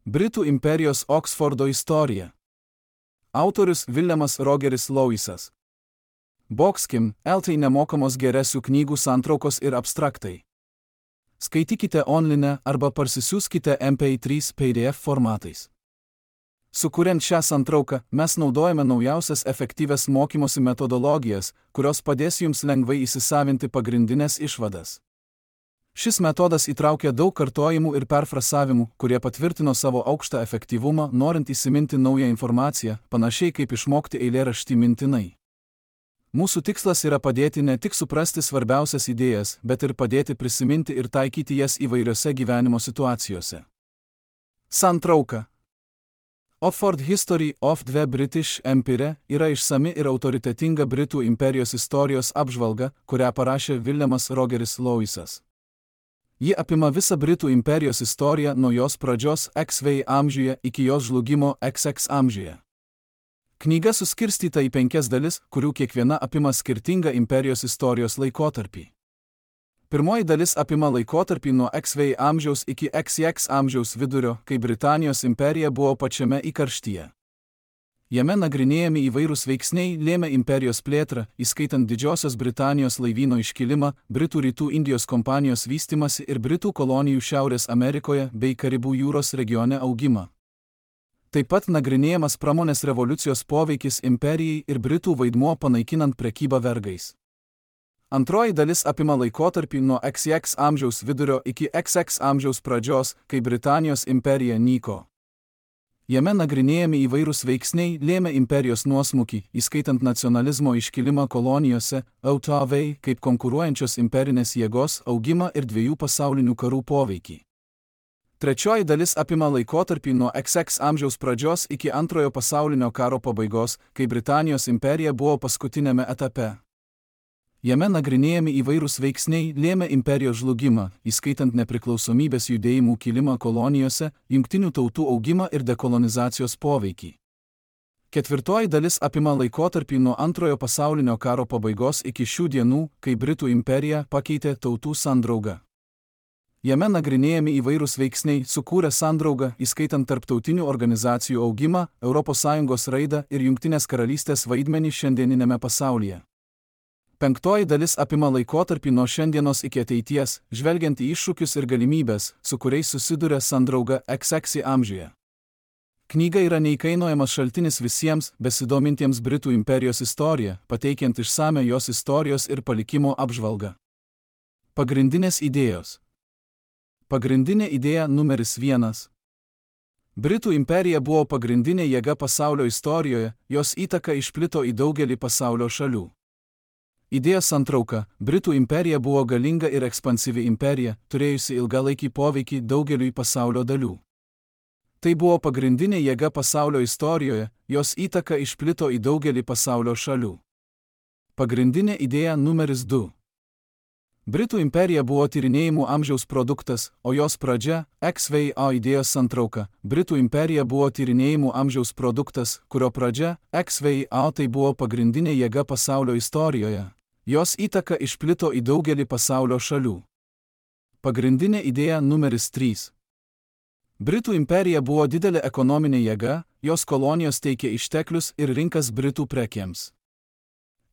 Britų imperijos Oksfordo istorija. Autorius Viljamas Rogeris Loisas. Bokskim, LT nemokamos geresių knygų santraukos ir abstraktai. Skaitykite online arba parsisiųskite MP3 PDF formatais. Sukuriant šią santrauką, mes naudojame naujausias efektyvias mokymosi metodologijas, kurios padės jums lengvai įsisavinti pagrindinės išvadas. Šis metodas įtraukia daug kartojimų ir perfrasavimų, kurie patvirtino savo aukštą efektyvumą, norint įsiminti naują informaciją, panašiai kaip išmokti eilėraštį mintinai. Mūsų tikslas yra padėti ne tik suprasti svarbiausias idėjas, bet ir padėti prisiminti ir taikyti jas įvairiose gyvenimo situacijose. Santrauka. Oxford History of the British Empire yra išsami ir autoritetinga Britų imperijos istorijos apžvalga, kurią parašė Viljamas Rogeris Loisas. Ji apima visą Britų imperijos istoriją nuo jos pradžios XV amžiuje iki jos žlugimo XX amžiuje. Knyga suskirstyta į 5 dalis, kurių kiekviena apima skirtingą imperijos istorijos laikotarpį. Pirmoji dalis apima laikotarpį nuo XV amžiaus iki XX amžiaus vidurio, kai Britanijos imperija buvo pačiame įkarštyje. Jame nagrinėjami įvairūs veiksniai lėmė imperijos plėtrą, įskaitant Didžiosios Britanijos laivyno iškilimą, Britų Rytų Indijos kompanijos vystymasi ir Britų kolonijų Šiaurės Amerikoje bei Karibų jūros regione augimą. Taip pat nagrinėjamas pramonės revoliucijos poveikis imperijai ir Britų vaidmuo panaikinant prekybą vergais. Antroji dalis apima laikotarpį nuo XX amžiaus vidurio iki XX amžiaus pradžios, kai Britanijos imperija nyko. Jame nagrinėjami įvairūs veiksniai lėmė imperijos nuosmukį, įskaitant nacionalizmo iškilimą kolonijose, AUTV kaip konkuruojančios imperinės jėgos augimą ir 2 pasaulinių karų poveikį. Trečioji dalis apima laikotarpį nuo XX amžiaus pradžios iki Antrojo pasaulinio karo pabaigos, kai Britanijos imperija buvo paskutinėme etape. Jame nagrinėjami įvairūs veiksniai lėmė imperijos žlugimą, įskaitant nepriklausomybės judėjimų kilimą kolonijose, jungtinių tautų augimą ir dekolonizacijos poveikį. Ketvirtoji dalis apima laikotarpį nuo Antrojo pasaulinio karo pabaigos iki šių dienų, kai Britų imperija pakeitė tautų sandraugą. Jame nagrinėjami įvairūs veiksniai sukūrę sandraugą, įskaitant tarptautinių organizacijų augimą, ES raidą ir Jungtinės karalystės vaidmenį šiandieninėme pasaulyje. Penktoji dalis apima laikotarpį nuo šiandienos iki ateities, žvelgiant į iššūkius ir galimybės, su kuriais susiduria sandrauga XX amžiuje. Knyga yra neįkainojamas šaltinis visiems besidomintiems Britų imperijos istoriją, pateikiant išsamią jos istorijos ir palikimo apžvalgą. Pagrindinės idėjos. Pagrindinė idėja numeris 1. Britų imperija buvo pagrindinė jėga pasaulio istorijoje, jos įtaka išplito į daugelį pasaulio šalių. Idėja santrauka. Britų imperija buvo galinga ir ekspansyvi imperija, turėjusi ilgalaikį poveikį daugeliui pasaulio dalių. Tai buvo pagrindinė jėga pasaulio istorijoje, jos įtaka išplito į daugelį pasaulio šalių. Pagrindinė idėja numeris 2. Britų imperija buvo tyrinėjimų amžiaus produktas, o jos pradžia – XVA idėjos santrauka. Britų imperija buvo tyrinėjimų amžiaus produktas, kurio pradžia – XVA tai buvo pagrindinė jėga pasaulio istorijoje. Jos įtaka išplito į daugelį pasaulio šalių. Pagrindinė idėja numeris 3. Britų imperija buvo didelė ekonominė jėga, jos kolonijos teikė išteklius ir rinkas Britų prekėms.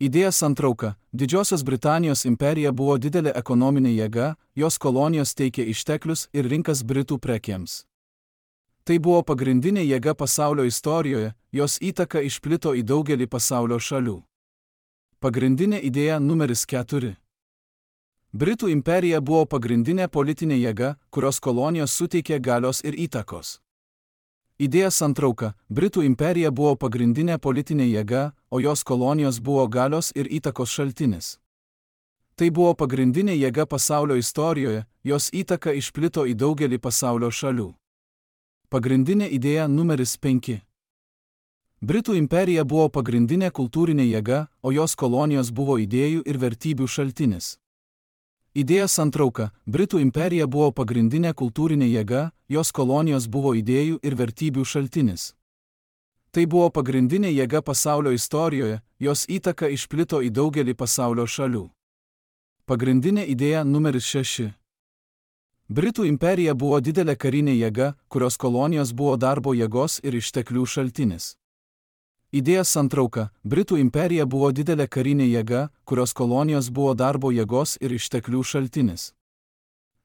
Idėja santrauka. Didžiosios Britanijos imperija buvo didelė ekonominė jėga, jos kolonijos teikė išteklius ir rinkas Britų prekėms. Tai buvo pagrindinė jėga pasaulio istorijoje, jos įtaka išplito į daugelį pasaulio šalių. Pagrindinė idėja numeris 4. Britų imperija buvo pagrindinė politinė jėga, kurios kolonijos suteikė galios ir įtakos. Idėja santrauka. Britų imperija buvo pagrindinė politinė jėga, o jos kolonijos buvo galios ir įtakos šaltinis. Tai buvo pagrindinė jėga pasaulio istorijoje, jos įtaka išplito į daugelį pasaulio šalių. Pagrindinė idėja numeris 5. Britų imperija buvo pagrindinė kultūrinė jėga, o jos kolonijos buvo idėjų ir vertybių šaltinis. Idėja santrauka. Britų imperija buvo pagrindinė kultūrinė jėga, jos kolonijos buvo idėjų ir vertybių šaltinis. Tai buvo pagrindinė jėga pasaulio istorijoje, jos įtaka išplito į daugelį pasaulio šalių. Pagrindinė idėja numeris 6. Britų imperija buvo didelė karinė jėga, kurios kolonijos buvo darbo jėgos ir išteklių šaltinis. Idėja santrauka. Britų imperija buvo didelė karinė jėga, kurios kolonijos buvo darbo jėgos ir išteklių šaltinis.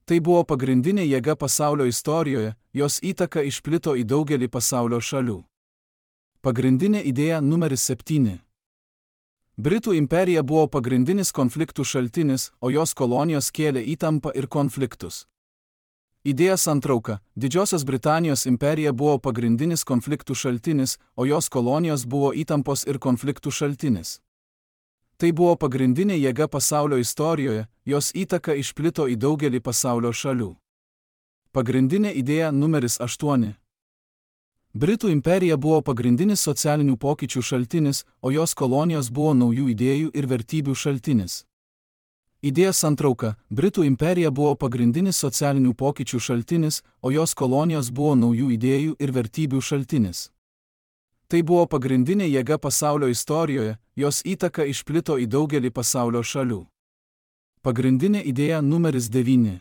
Tai buvo pagrindinė jėga pasaulio istorijoje, jos įtaka išplito į daugelį pasaulio šalių. Pagrindinė idėja numeris 7. Britų imperija buvo pagrindinis konfliktų šaltinis, o jos kolonijos kėlė įtampą ir konfliktus. Idėja santrauka. Didžiosios Britanijos imperija buvo pagrindinis konfliktų šaltinis, o jos kolonijos buvo įtampos ir konfliktų šaltinis. Tai buvo pagrindinė jėga pasaulio istorijoje, jos įtaka išplito į daugelį pasaulio šalių. Pagrindinė idėja numeris 8. Britų imperija buvo pagrindinis socialinių pokyčių šaltinis, o jos kolonijos buvo naujų idėjų ir vertybių šaltinis. Idėja santrauka. Britų imperija buvo pagrindinis socialinių pokyčių šaltinis, o jos kolonijos buvo naujų idėjų ir vertybių šaltinis. Tai buvo pagrindinė jėga pasaulio istorijoje, jos įtaka išplito į daugelį pasaulio šalių. Pagrindinė idėja numeris 9.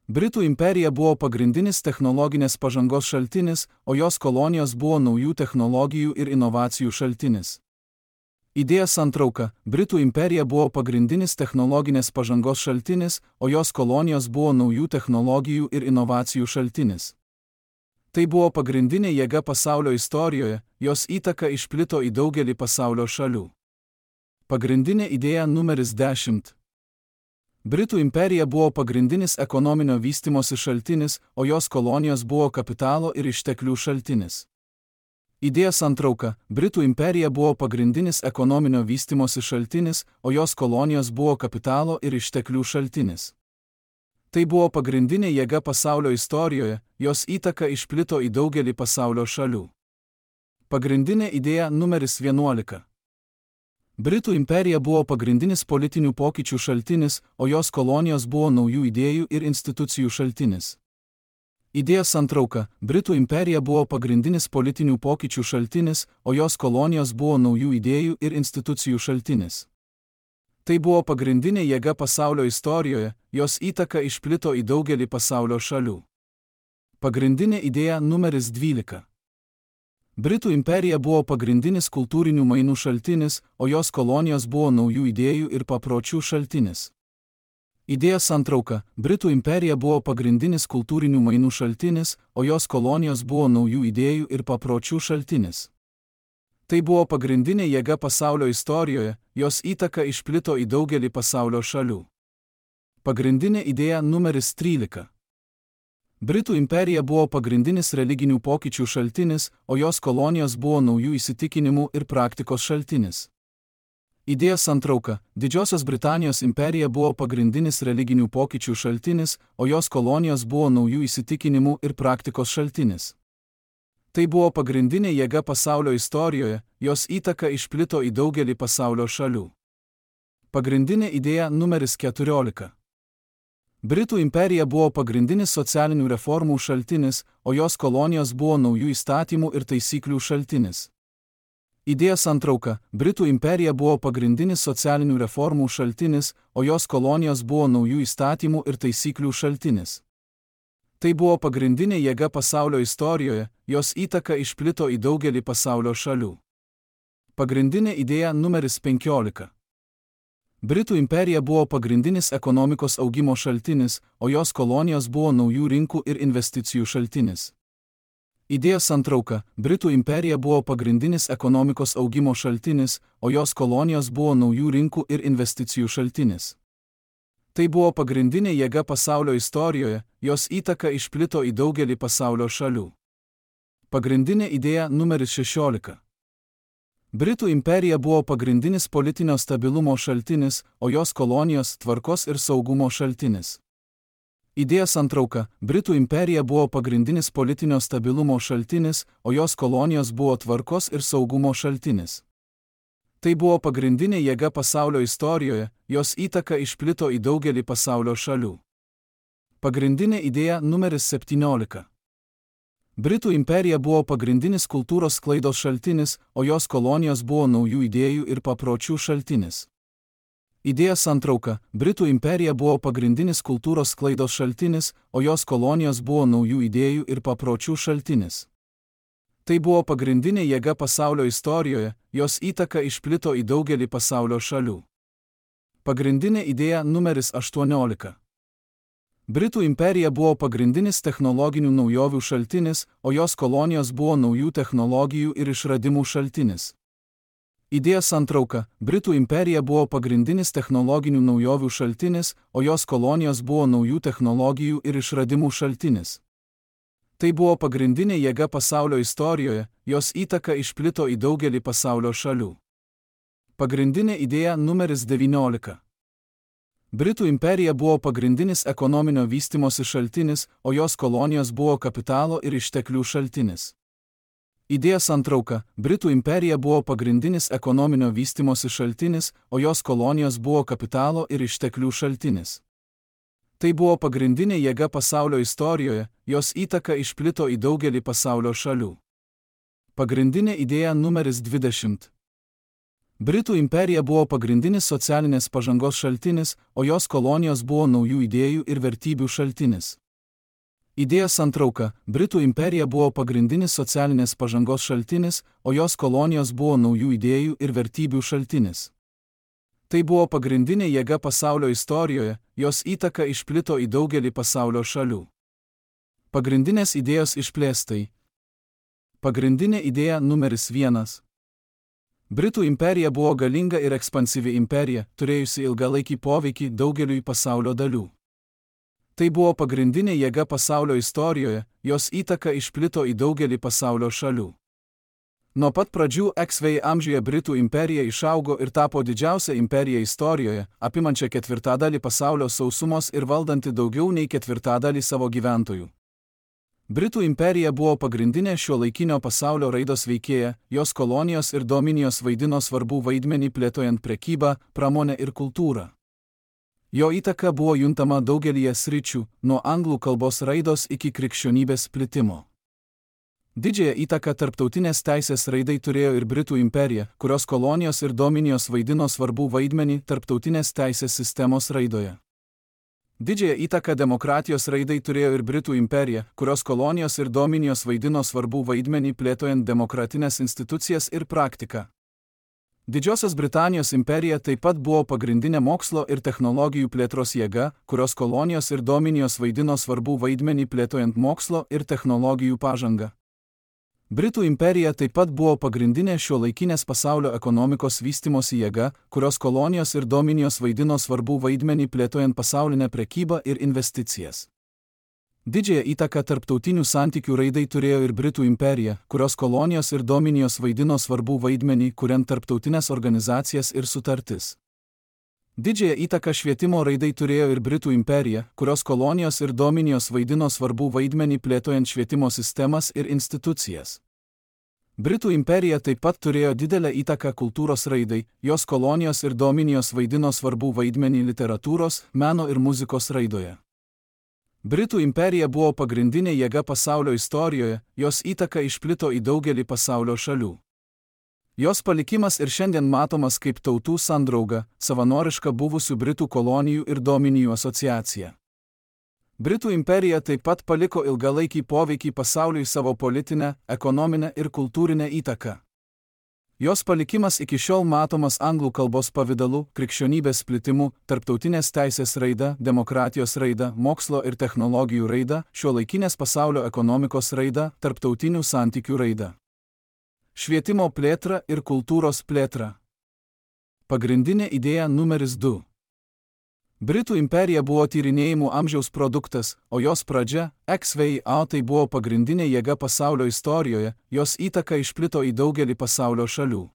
Britų imperija buvo pagrindinis technologinės pažangos šaltinis, o jos kolonijos buvo naujų technologijų ir inovacijų šaltinis. Idėja santrauka. Britų imperija buvo pagrindinis technologinės pažangos šaltinis, o jos kolonijos buvo naujų technologijų ir inovacijų šaltinis. Tai buvo pagrindinė jėga pasaulio istorijoje, jos įtaka išplito į daugelį pasaulio šalių. Pagrindinė idėja numeris 10. Britų imperija buvo pagrindinis ekonominio vystimosi šaltinis, o jos kolonijos buvo kapitalo ir išteklių šaltinis. Idėja santrauka. Britų imperija buvo pagrindinis ekonominio vystimosi šaltinis, o jos kolonijos buvo kapitalo ir išteklių šaltinis. Tai buvo pagrindinė jėga pasaulio istorijoje, jos įtaka išplito į daugelį pasaulio šalių. Pagrindinė idėja numeris 11. Britų imperija buvo pagrindinis politinių pokyčių šaltinis, o jos kolonijos buvo naujų idėjų ir institucijų šaltinis. Idėja santrauka. Britų imperija buvo pagrindinis politinių pokyčių šaltinis, o jos kolonijos buvo naujų idėjų ir institucijų šaltinis. Tai buvo pagrindinė jėga pasaulio istorijoje, jos įtaka išplito į daugelį pasaulio šalių. Pagrindinė idėja numeris 12. Britų imperija buvo pagrindinis kultūrinių mainų šaltinis, o jos kolonijos buvo naujų idėjų ir papročių šaltinis. Idėja santrauka. Britų imperija buvo pagrindinis kultūrinių mainų šaltinis, o jos kolonijos buvo naujų idėjų ir papročių šaltinis. Tai buvo pagrindinė jėga pasaulio istorijoje, jos įtaka išplito į daugelį pasaulio šalių. Pagrindinė idėja numeris 13. Britų imperija buvo pagrindinis religinių pokyčių šaltinis, o jos kolonijos buvo naujų įsitikinimų ir praktikos šaltinis. Idėja santrauka. Didžiosios Britanijos imperija buvo pagrindinis religinių pokyčių šaltinis, o jos kolonijos buvo naujų įsitikinimų ir praktikos šaltinis. Tai buvo pagrindinė jėga pasaulio istorijoje, jos įtaka išplito į daugelį pasaulio šalių. Pagrindinė idėja numeris 14. Britų imperija buvo pagrindinis socialinių reformų šaltinis, o jos kolonijos buvo naujų įstatymų ir taisyklių šaltinis. Idėja santrauka. Britų imperija buvo pagrindinis socialinių reformų šaltinis, o jos kolonijos buvo naujų įstatymų ir taisyklių šaltinis. Tai buvo pagrindinė jėga pasaulio istorijoje, jos įtaka išplito į daugelį pasaulio šalių. Pagrindinė idėja numeris 15. Britų imperija buvo pagrindinis ekonomikos augimo šaltinis, o jos kolonijos buvo naujų rinkų ir investicijų šaltinis. Idėja santrauka. Britų imperija buvo pagrindinis ekonomikos augimo šaltinis, o jos kolonijos buvo naujų rinkų ir investicijų šaltinis. Tai buvo pagrindinė jėga pasaulio istorijoje, jos įtaka išplito į daugelį pasaulio šalių. Pagrindinė idėja numeris 16. Britų imperija buvo pagrindinis politinio stabilumo šaltinis, o jos kolonijos tvarkos ir saugumo šaltinis. Idėja santrauka. Britų imperija buvo pagrindinis politinio stabilumo šaltinis, o jos kolonijos buvo tvarkos ir saugumo šaltinis. Tai buvo pagrindinė jėga pasaulio istorijoje, jos įtaka išplito į daugelį pasaulio šalių. Pagrindinė idėja numeris 17. Britų imperija buvo pagrindinis kultūros sklaidos šaltinis, o jos kolonijos buvo naujų idėjų ir papročių šaltinis. Idėja santrauka – Britų imperija buvo pagrindinis kultūros sklaidos šaltinis, o jos kolonijos buvo naujų idėjų ir papročių šaltinis. Tai buvo pagrindinė jėga pasaulio istorijoje, jos įtaka išplito į daugelį pasaulio šalių. Pagrindinė idėja numeris 18. Britų imperija buvo pagrindinis technologinių naujovių šaltinis, o jos kolonijos buvo naujų technologijų ir išradimų šaltinis. Idėja santrauka – Britų imperija buvo pagrindinis technologinių naujovių šaltinis, o jos kolonijos buvo naujų technologijų ir išradimų šaltinis. Tai buvo pagrindinė jėga pasaulio istorijoje, jos įtaka išplito į daugelį pasaulio šalių. Pagrindinė idėja numeris 19. Britų imperija buvo pagrindinis ekonominio vystymosi šaltinis, o jos kolonijos buvo kapitalo ir išteklių šaltinis. Idėja santrauka – Britų imperija buvo pagrindinis ekonominio vystymosi šaltinis, o jos kolonijos buvo kapitalo ir išteklių šaltinis. Tai buvo pagrindinė jėga pasaulio istorijoje, jos įtaka išplito į daugelį pasaulio šalių. Pagrindinė idėja numeris 20. Britų imperija buvo pagrindinis socialinės pažangos šaltinis, o jos kolonijos buvo naujų idėjų ir vertybių šaltinis. Idėja santrauka – Britų imperija buvo pagrindinis socialinės pažangos šaltinis, o jos kolonijos buvo naujų idėjų ir vertybių šaltinis. Tai buvo pagrindinė jėga pasaulio istorijoje, jos įtaka išplito į daugelį pasaulio šalių. Pagrindinės idėjos išplėstai. Pagrindinė idėja numeris 1. Britų imperija buvo galinga ir ekspansyvi imperija, turėjusi ilgalaikį poveikį daugeliui pasaulio dalių. Tai buvo pagrindinė jėga pasaulio istorijoje, jos įtaka išplito į daugelį pasaulio šalių. Nuo pat pradžių XV amžiuje Britų imperija išaugo ir tapo didžiausia imperija istorijoje, apimančia ketvirtadalį pasaulio sausumos ir valdanti daugiau nei ketvirtadalį savo gyventojų. Britų imperija buvo pagrindinė šiuolaikinio pasaulio raidos veikėja, jos kolonijos ir dominijos vaidino svarbų vaidmenį plėtojant prekybą, pramonę ir kultūrą. Jo įtaka buvo juntama daugelyje sričių, nuo anglų kalbos raidos iki krikščionybės plitimo. Didžiąją įtaką tarptautinės teisės raidai turėjo ir Britų imperija, kurios kolonijos ir dominijos vaidino svarbų vaidmenį tarptautinės teisės sistemos raidoje. Didžiąją įtaką demokratijos raidai turėjo ir Britų imperija, kurios kolonijos ir dominijos vaidino svarbų vaidmenį plėtojant demokratinės institucijas ir praktiką. Didžiosios Britanijos imperija taip pat buvo pagrindinė mokslo ir technologijų plėtros jėga, kurios kolonijos ir dominijos vaidino svarbų vaidmenį plėtojant mokslo ir technologijų pažangą. Britų imperija taip pat buvo pagrindinė šiuolaikinės pasaulio ekonomikos vystymosi jėga, kurios kolonijos ir dominijos vaidino svarbų vaidmenį plėtojant pasaulinę prekybą ir investicijas. Didžiąją įtaką tarptautinių santykių raidai turėjo ir Britų imperija, kurios kolonijos ir dominijos vaidino svarbų vaidmenį, kuriant tarptautinės organizacijas ir sutartis. Didžiąją įtaką švietimo raidai turėjo ir Britų imperija, kurios kolonijos ir dominijos vaidino svarbų vaidmenį plėtojant švietimo sistemas ir institucijas. Britų imperija taip pat turėjo didelę įtaką kultūros raidai, jos kolonijos ir dominijos vaidino svarbų vaidmenį literatūros, meno ir muzikos raidoje. Britų imperija buvo pagrindinė jėga pasaulio istorijoje, jos įtaka išplito į daugelį pasaulio šalių. Jos palikimas ir šiandien matomas kaip tautų sandrauga, savanoriška buvusių Britų kolonijų ir dominijų asociacija. Britų imperija taip pat paliko ilgalaikį poveikį pasauliui savo politinę, ekonominę ir kultūrinę įtaką. Jos palikimas iki šiol matomas anglų kalbos pavidalu, krikščionybės plitimu, tarptautinės teisės raida, demokratijos raida, mokslo ir technologijų raida, šiuolaikinės pasaulio ekonomikos raida, tarptautinių santykių raida. Švietimo plėtra ir kultūros plėtra. Pagrindinė idėja numeris 2. Britų imperija buvo tyrinėjimų amžiaus produktas, o jos pradžia, XVIA, tai buvo pagrindinė jėga pasaulio istorijoje, jos įtaka išplito į daugelį pasaulio šalių.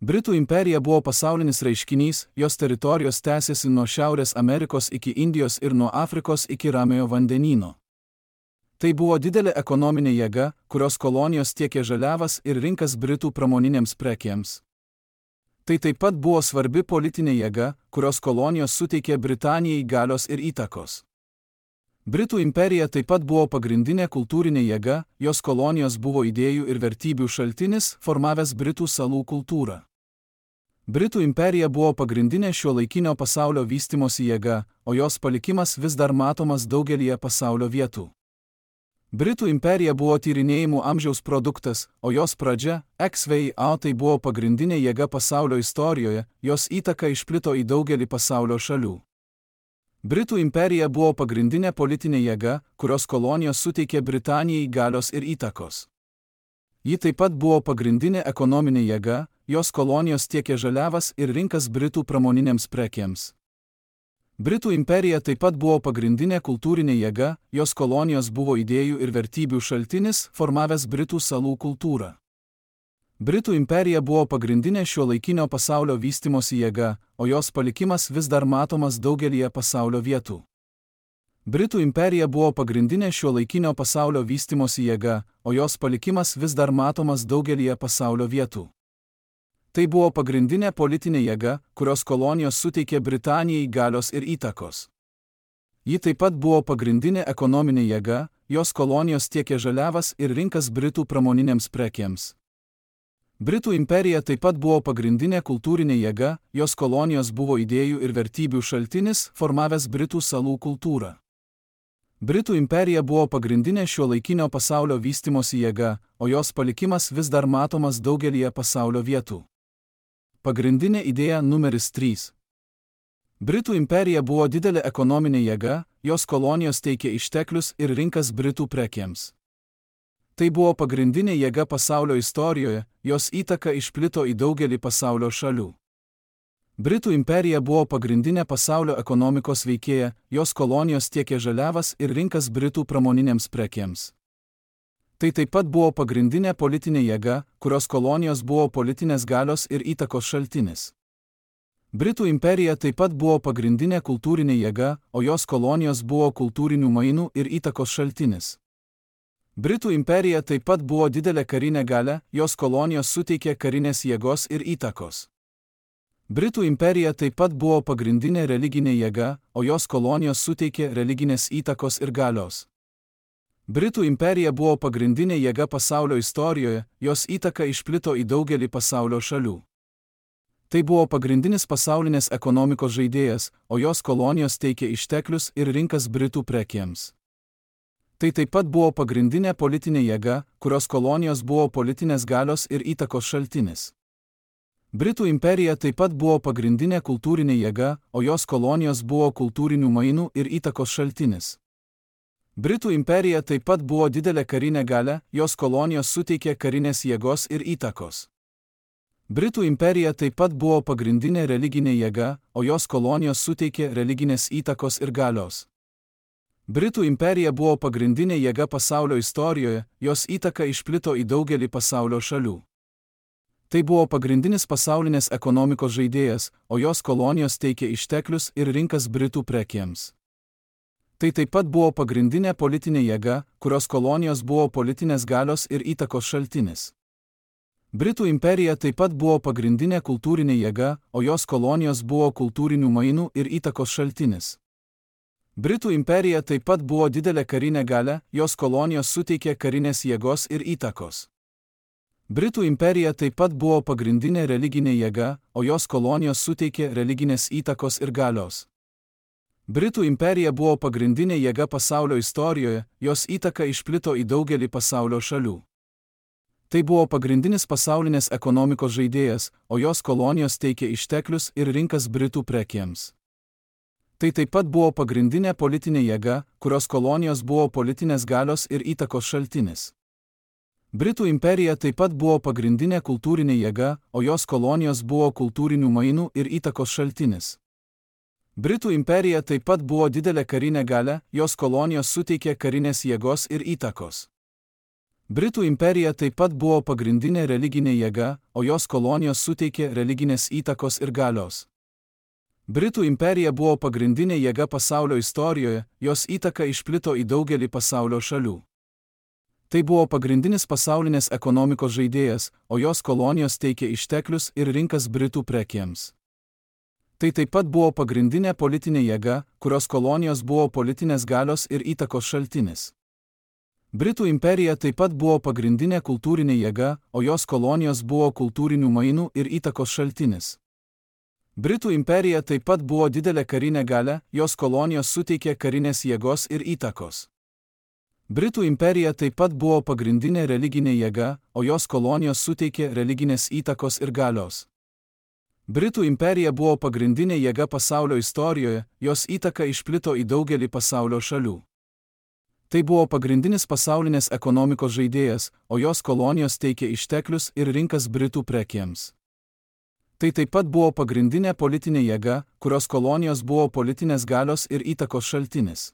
Britų imperija buvo pasaulinis reiškinys, jos teritorijos tęsėsi nuo Šiaurės Amerikos iki Indijos ir nuo Afrikos iki Ramiojo vandenyno. Tai buvo didelė ekonominė jėga, kurios kolonijos tiekė žaliavas ir rinkas Britų pramoninėms prekėms. Tai taip pat buvo svarbi politinė jėga, kurios kolonijos suteikė Britanijai galios ir įtakos. Britų imperija taip pat buvo pagrindinė kultūrinė jėga, jos kolonijos buvo idėjų ir vertybių šaltinis, formavęs Britų salų kultūrą. Britų imperija buvo pagrindinė šiuolaikinio pasaulio vystimosi jėga, o jos palikimas vis dar matomas daugelyje pasaulio vietų. Britų imperija buvo tyrinėjimų amžiaus produktas, o jos pradžia, XVIII, tai buvo pagrindinė jėga pasaulio istorijoje, jos įtaka išplito į daugelį pasaulio šalių. Britų imperija buvo pagrindinė politinė jėga, kurios kolonijos suteikė Britanijai galios ir įtakos. Ji taip pat buvo pagrindinė ekonominė jėga, jos kolonijos tiekė žaliavas ir rinkas Britų pramoninėms prekėms. Britų imperija taip pat buvo pagrindinė kultūrinė jėga, jos kolonijos buvo idėjų ir vertybių šaltinis, formavęs Britų salų kultūrą. Britų imperija buvo pagrindinė šiuolaikinio pasaulio vystimosi jėga, o jos palikimas vis dar matomas daugelyje pasaulio vietų. Britų imperija buvo pagrindinė šiuolaikinio pasaulio vystimosi jėga, o jos palikimas vis dar matomas daugelyje pasaulio vietų. Tai buvo pagrindinė politinė jėga, kurios kolonijos suteikė Britanijai galios ir įtakos. Ji taip pat buvo pagrindinė ekonominė jėga, jos kolonijos tiekė žaliavas ir rinkas Britų pramoninėms prekėms. Britų imperija taip pat buvo pagrindinė kultūrinė jėga, jos kolonijos buvo idėjų ir vertybių šaltinis, formavęs Britų salų kultūrą. Britų imperija buvo pagrindinė šiuolaikinio pasaulio vystimosi jėga, o jos palikimas vis dar matomas daugelyje pasaulio vietų. Pagrindinė idėja numeris 3. Britų imperija buvo didelė ekonominė jėga, jos kolonijos teikė išteklius ir rinkas Britų prekėms. Tai buvo pagrindinė jėga pasaulio istorijoje, jos įtaka išplito į daugelį pasaulio šalių. Britų imperija buvo pagrindinė pasaulio ekonomikos veikėja, jos kolonijos tiekė žaliavas ir rinkas Britų pramoninėms prekėms. Tai taip pat buvo pagrindinė politinė jėga, kurios kolonijos buvo politinės galios ir įtakos šaltinis. Britų imperija taip pat buvo pagrindinė kultūrinė jėga, o jos kolonijos buvo kultūrinių mainų ir įtakos šaltinis. Britų imperija taip pat buvo didelė karinė galia, jos kolonijos suteikė karinės jėgos ir įtakos. Britų imperija taip pat buvo pagrindinė religinė jėga, o jos kolonijos suteikė religinės įtakos ir galios. Britų imperija buvo pagrindinė jėga pasaulio istorijoje, jos įtaka išplito į daugelį pasaulio šalių. Tai buvo pagrindinis pasaulinės ekonomikos žaidėjas, o jos kolonijos teikė išteklius ir rinkas Britų prekėms. Tai taip pat buvo pagrindinė politinė jėga, kurios kolonijos buvo politinės galios ir įtakos šaltinis. Britų imperija taip pat buvo pagrindinė kultūrinė jėga, o jos kolonijos buvo kultūrinių mainų ir įtakos šaltinis. Britų imperija taip pat buvo didelė karinė galia, jos kolonijos suteikė karinės jėgos ir įtakos. Britų imperija taip pat buvo pagrindinė religinė jėga, o jos kolonijos suteikė religinės įtakos ir galios. Britų imperija buvo pagrindinė jėga pasaulio istorijoje, jos įtaka išplito į daugelį pasaulio šalių. Tai buvo pagrindinis pasaulinės ekonomikos žaidėjas, o jos kolonijos teikė išteklius ir rinkas Britų prekėms. Tai taip pat buvo pagrindinė politinė jėga, kurios kolonijos buvo politinės galios ir įtakos šaltinis. Britų imperija taip pat buvo pagrindinė kultūrinė jėga, o jos kolonijos buvo kultūrinių mainų ir įtakos šaltinis. Britų imperija taip pat buvo didelė karinė galia, jos kolonijos suteikė karinės jėgos ir įtakos. Britų imperija taip pat buvo pagrindinė religinė jėga, o jos kolonijos suteikė religinės įtakos ir galios. Britų imperija buvo pagrindinė jėga pasaulio istorijoje, jos įtaka išplito į daugelį pasaulio šalių. Tai buvo pagrindinis pasaulinės ekonomikos žaidėjas, o jos kolonijos teikė išteklius ir rinkas Britų prekėms. Tai taip pat buvo pagrindinė politinė jėga, kurios kolonijos buvo politinės galios ir įtakos šaltinis. Britų imperija taip pat buvo pagrindinė kultūrinė jėga, o jos kolonijos buvo kultūrinių mainų ir įtakos šaltinis. Britų imperija taip pat buvo didelė karinė galia, jos kolonijos suteikė karinės jėgos ir įtakos. Britų imperija taip pat buvo pagrindinė religinė jėga, o jos kolonijos suteikė religinės įtakos ir galios. Britų imperija buvo pagrindinė jėga pasaulio istorijoje, jos įtaka išplito į daugelį pasaulio šalių. Tai buvo pagrindinis pasaulinės ekonomikos žaidėjas, o jos kolonijos teikė išteklius ir rinkas Britų prekėms. Tai taip pat buvo pagrindinė politinė jėga, kurios kolonijos buvo politinės galios ir įtakos šaltinis. Britų imperija taip pat buvo pagrindinė kultūrinė jėga, o jos kolonijos buvo kultūrinių mainų ir įtakos šaltinis. Britų imperija taip pat buvo didelė karinė galia, jos kolonijos suteikė karinės jėgos ir įtakos. Britų imperija taip pat buvo pagrindinė religinė jėga, o jos kolonijos suteikė religinės įtakos ir galios. Britų imperija buvo pagrindinė jėga pasaulio istorijoje, jos įtaka išplito į daugelį pasaulio šalių. Tai buvo pagrindinis pasaulinės ekonomikos žaidėjas, o jos kolonijos teikė išteklius ir rinkas Britų prekėms. Tai taip pat buvo pagrindinė politinė jėga, kurios kolonijos buvo politinės galios ir įtakos šaltinis.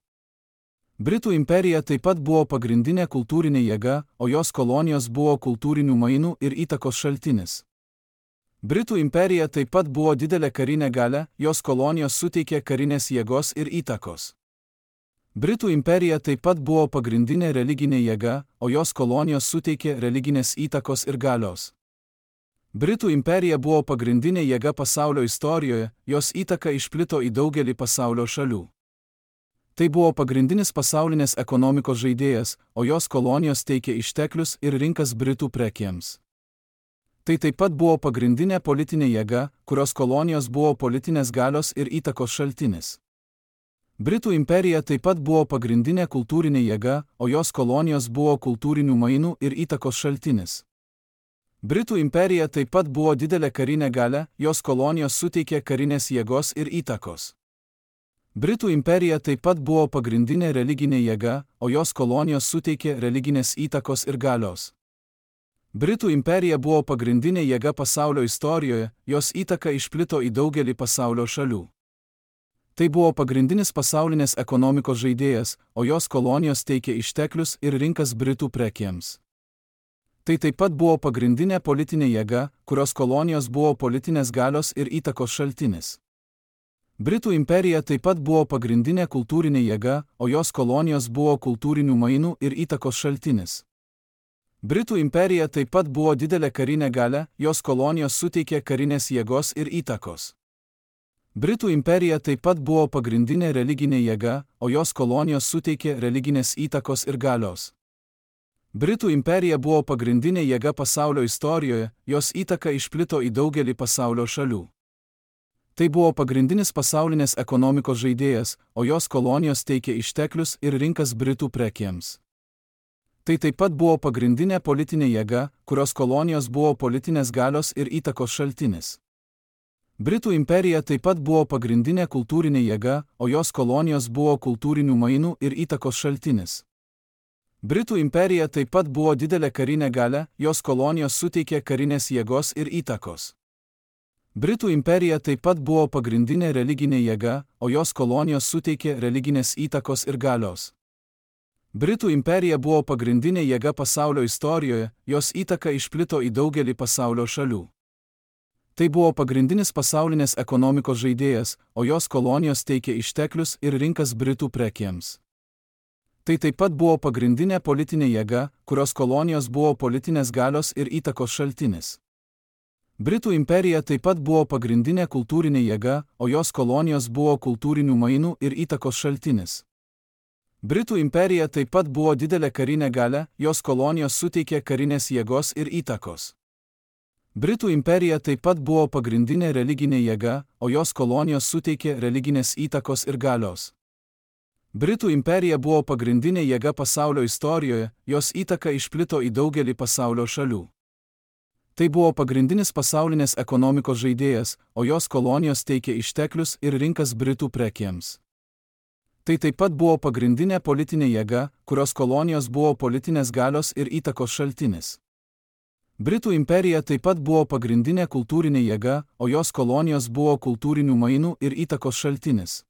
Britų imperija taip pat buvo pagrindinė kultūrinė jėga, o jos kolonijos buvo kultūrinių mainų ir įtakos šaltinis. Britų imperija taip pat buvo didelė karinė galia, jos kolonijos suteikė karinės jėgos ir įtakos. Britų imperija taip pat buvo pagrindinė religinė jėga, o jos kolonijos suteikė religinės įtakos ir galios. Britų imperija buvo pagrindinė jėga pasaulio istorijoje, jos įtaka išplito į daugelį pasaulio šalių. Tai buvo pagrindinis pasaulinės ekonomikos žaidėjas, o jos kolonijos teikė išteklius ir rinkas Britų prekėms. Tai taip pat buvo pagrindinė politinė jėga, kurios kolonijos buvo politinės galios ir įtakos šaltinis. Britų imperija taip pat buvo pagrindinė kultūrinė jėga, o jos kolonijos buvo kultūrinių mainų ir įtakos šaltinis. Britų imperija taip pat buvo didelė karinė galia, jos kolonijos suteikė karinės jėgos ir įtakos. Britų imperija taip pat buvo pagrindinė religinė jėga, o jos kolonijos suteikė religinės įtakos ir galios. Britų imperija buvo pagrindinė jėga pasaulio istorijoje, jos įtaka išplito į daugelį pasaulio šalių. Tai buvo pagrindinis pasaulinės ekonomikos žaidėjas, o jos kolonijos teikė išteklius ir rinkas Britų prekėms. Tai taip pat buvo pagrindinė politinė jėga, kurios kolonijos buvo politinės galios ir įtakos šaltinis. Britų imperija taip pat buvo pagrindinė kultūrinė jėga, o jos kolonijos buvo kultūrinių mainų ir įtakos šaltinis. Britų imperija taip pat buvo didelė karinė galia, jos kolonijos suteikė karinės jėgos ir įtakos. Britų imperija taip pat buvo pagrindinė religinė jėga, o jos kolonijos suteikė religinės įtakos ir galios. Britų imperija buvo pagrindinė jėga pasaulio istorijoje, jos įtaka išplito į daugelį pasaulio šalių. Tai buvo pagrindinis pasaulinės ekonomikos žaidėjas, o jos kolonijos teikė išteklius ir rinkas Britų prekėms. Tai taip pat buvo pagrindinė politinė jėga, kurios kolonijos buvo politinės galios ir įtakos šaltinis. Britų imperija taip pat buvo pagrindinė kultūrinė jėga, o jos kolonijos buvo kultūrinių mainų ir įtakos šaltinis. Britų imperija taip pat buvo didelė karinė galia, jos kolonijos suteikė karinės jėgos ir įtakos. Britų imperija taip pat buvo pagrindinė religinė jėga, o jos kolonijos suteikė religinės įtakos ir galios. Britų imperija buvo pagrindinė jėga pasaulio istorijoje, jos įtaka išplito į daugelį pasaulio šalių. Tai buvo pagrindinis pasaulinės ekonomikos žaidėjas, o jos kolonijos teikė išteklius ir rinkas Britų prekėms. Tai taip pat buvo pagrindinė politinė jėga, kurios kolonijos buvo politinės galios ir įtakos šaltinis. Britų imperija taip pat buvo pagrindinė kultūrinė jėga, o jos kolonijos buvo kultūrinių mainų ir įtakos šaltinis. Britų imperija taip pat buvo didelė karinė galia, jos kolonijos suteikė karinės jėgos ir įtakos. Britų imperija taip pat buvo pagrindinė religinė jėga, o jos kolonijos suteikė religinės įtakos ir galios. Britų imperija buvo pagrindinė jėga pasaulio istorijoje, jos įtaka išplito į daugelį pasaulio šalių. Tai buvo pagrindinis pasaulinės ekonomikos žaidėjas, o jos kolonijos teikė išteklius ir rinkas Britų prekėms. Tai taip pat buvo pagrindinė politinė jėga, kurios kolonijos buvo politinės galios ir įtakos šaltinis. Britų imperija taip pat buvo pagrindinė kultūrinė jėga, o jos kolonijos buvo kultūrinių mainų ir įtakos šaltinis.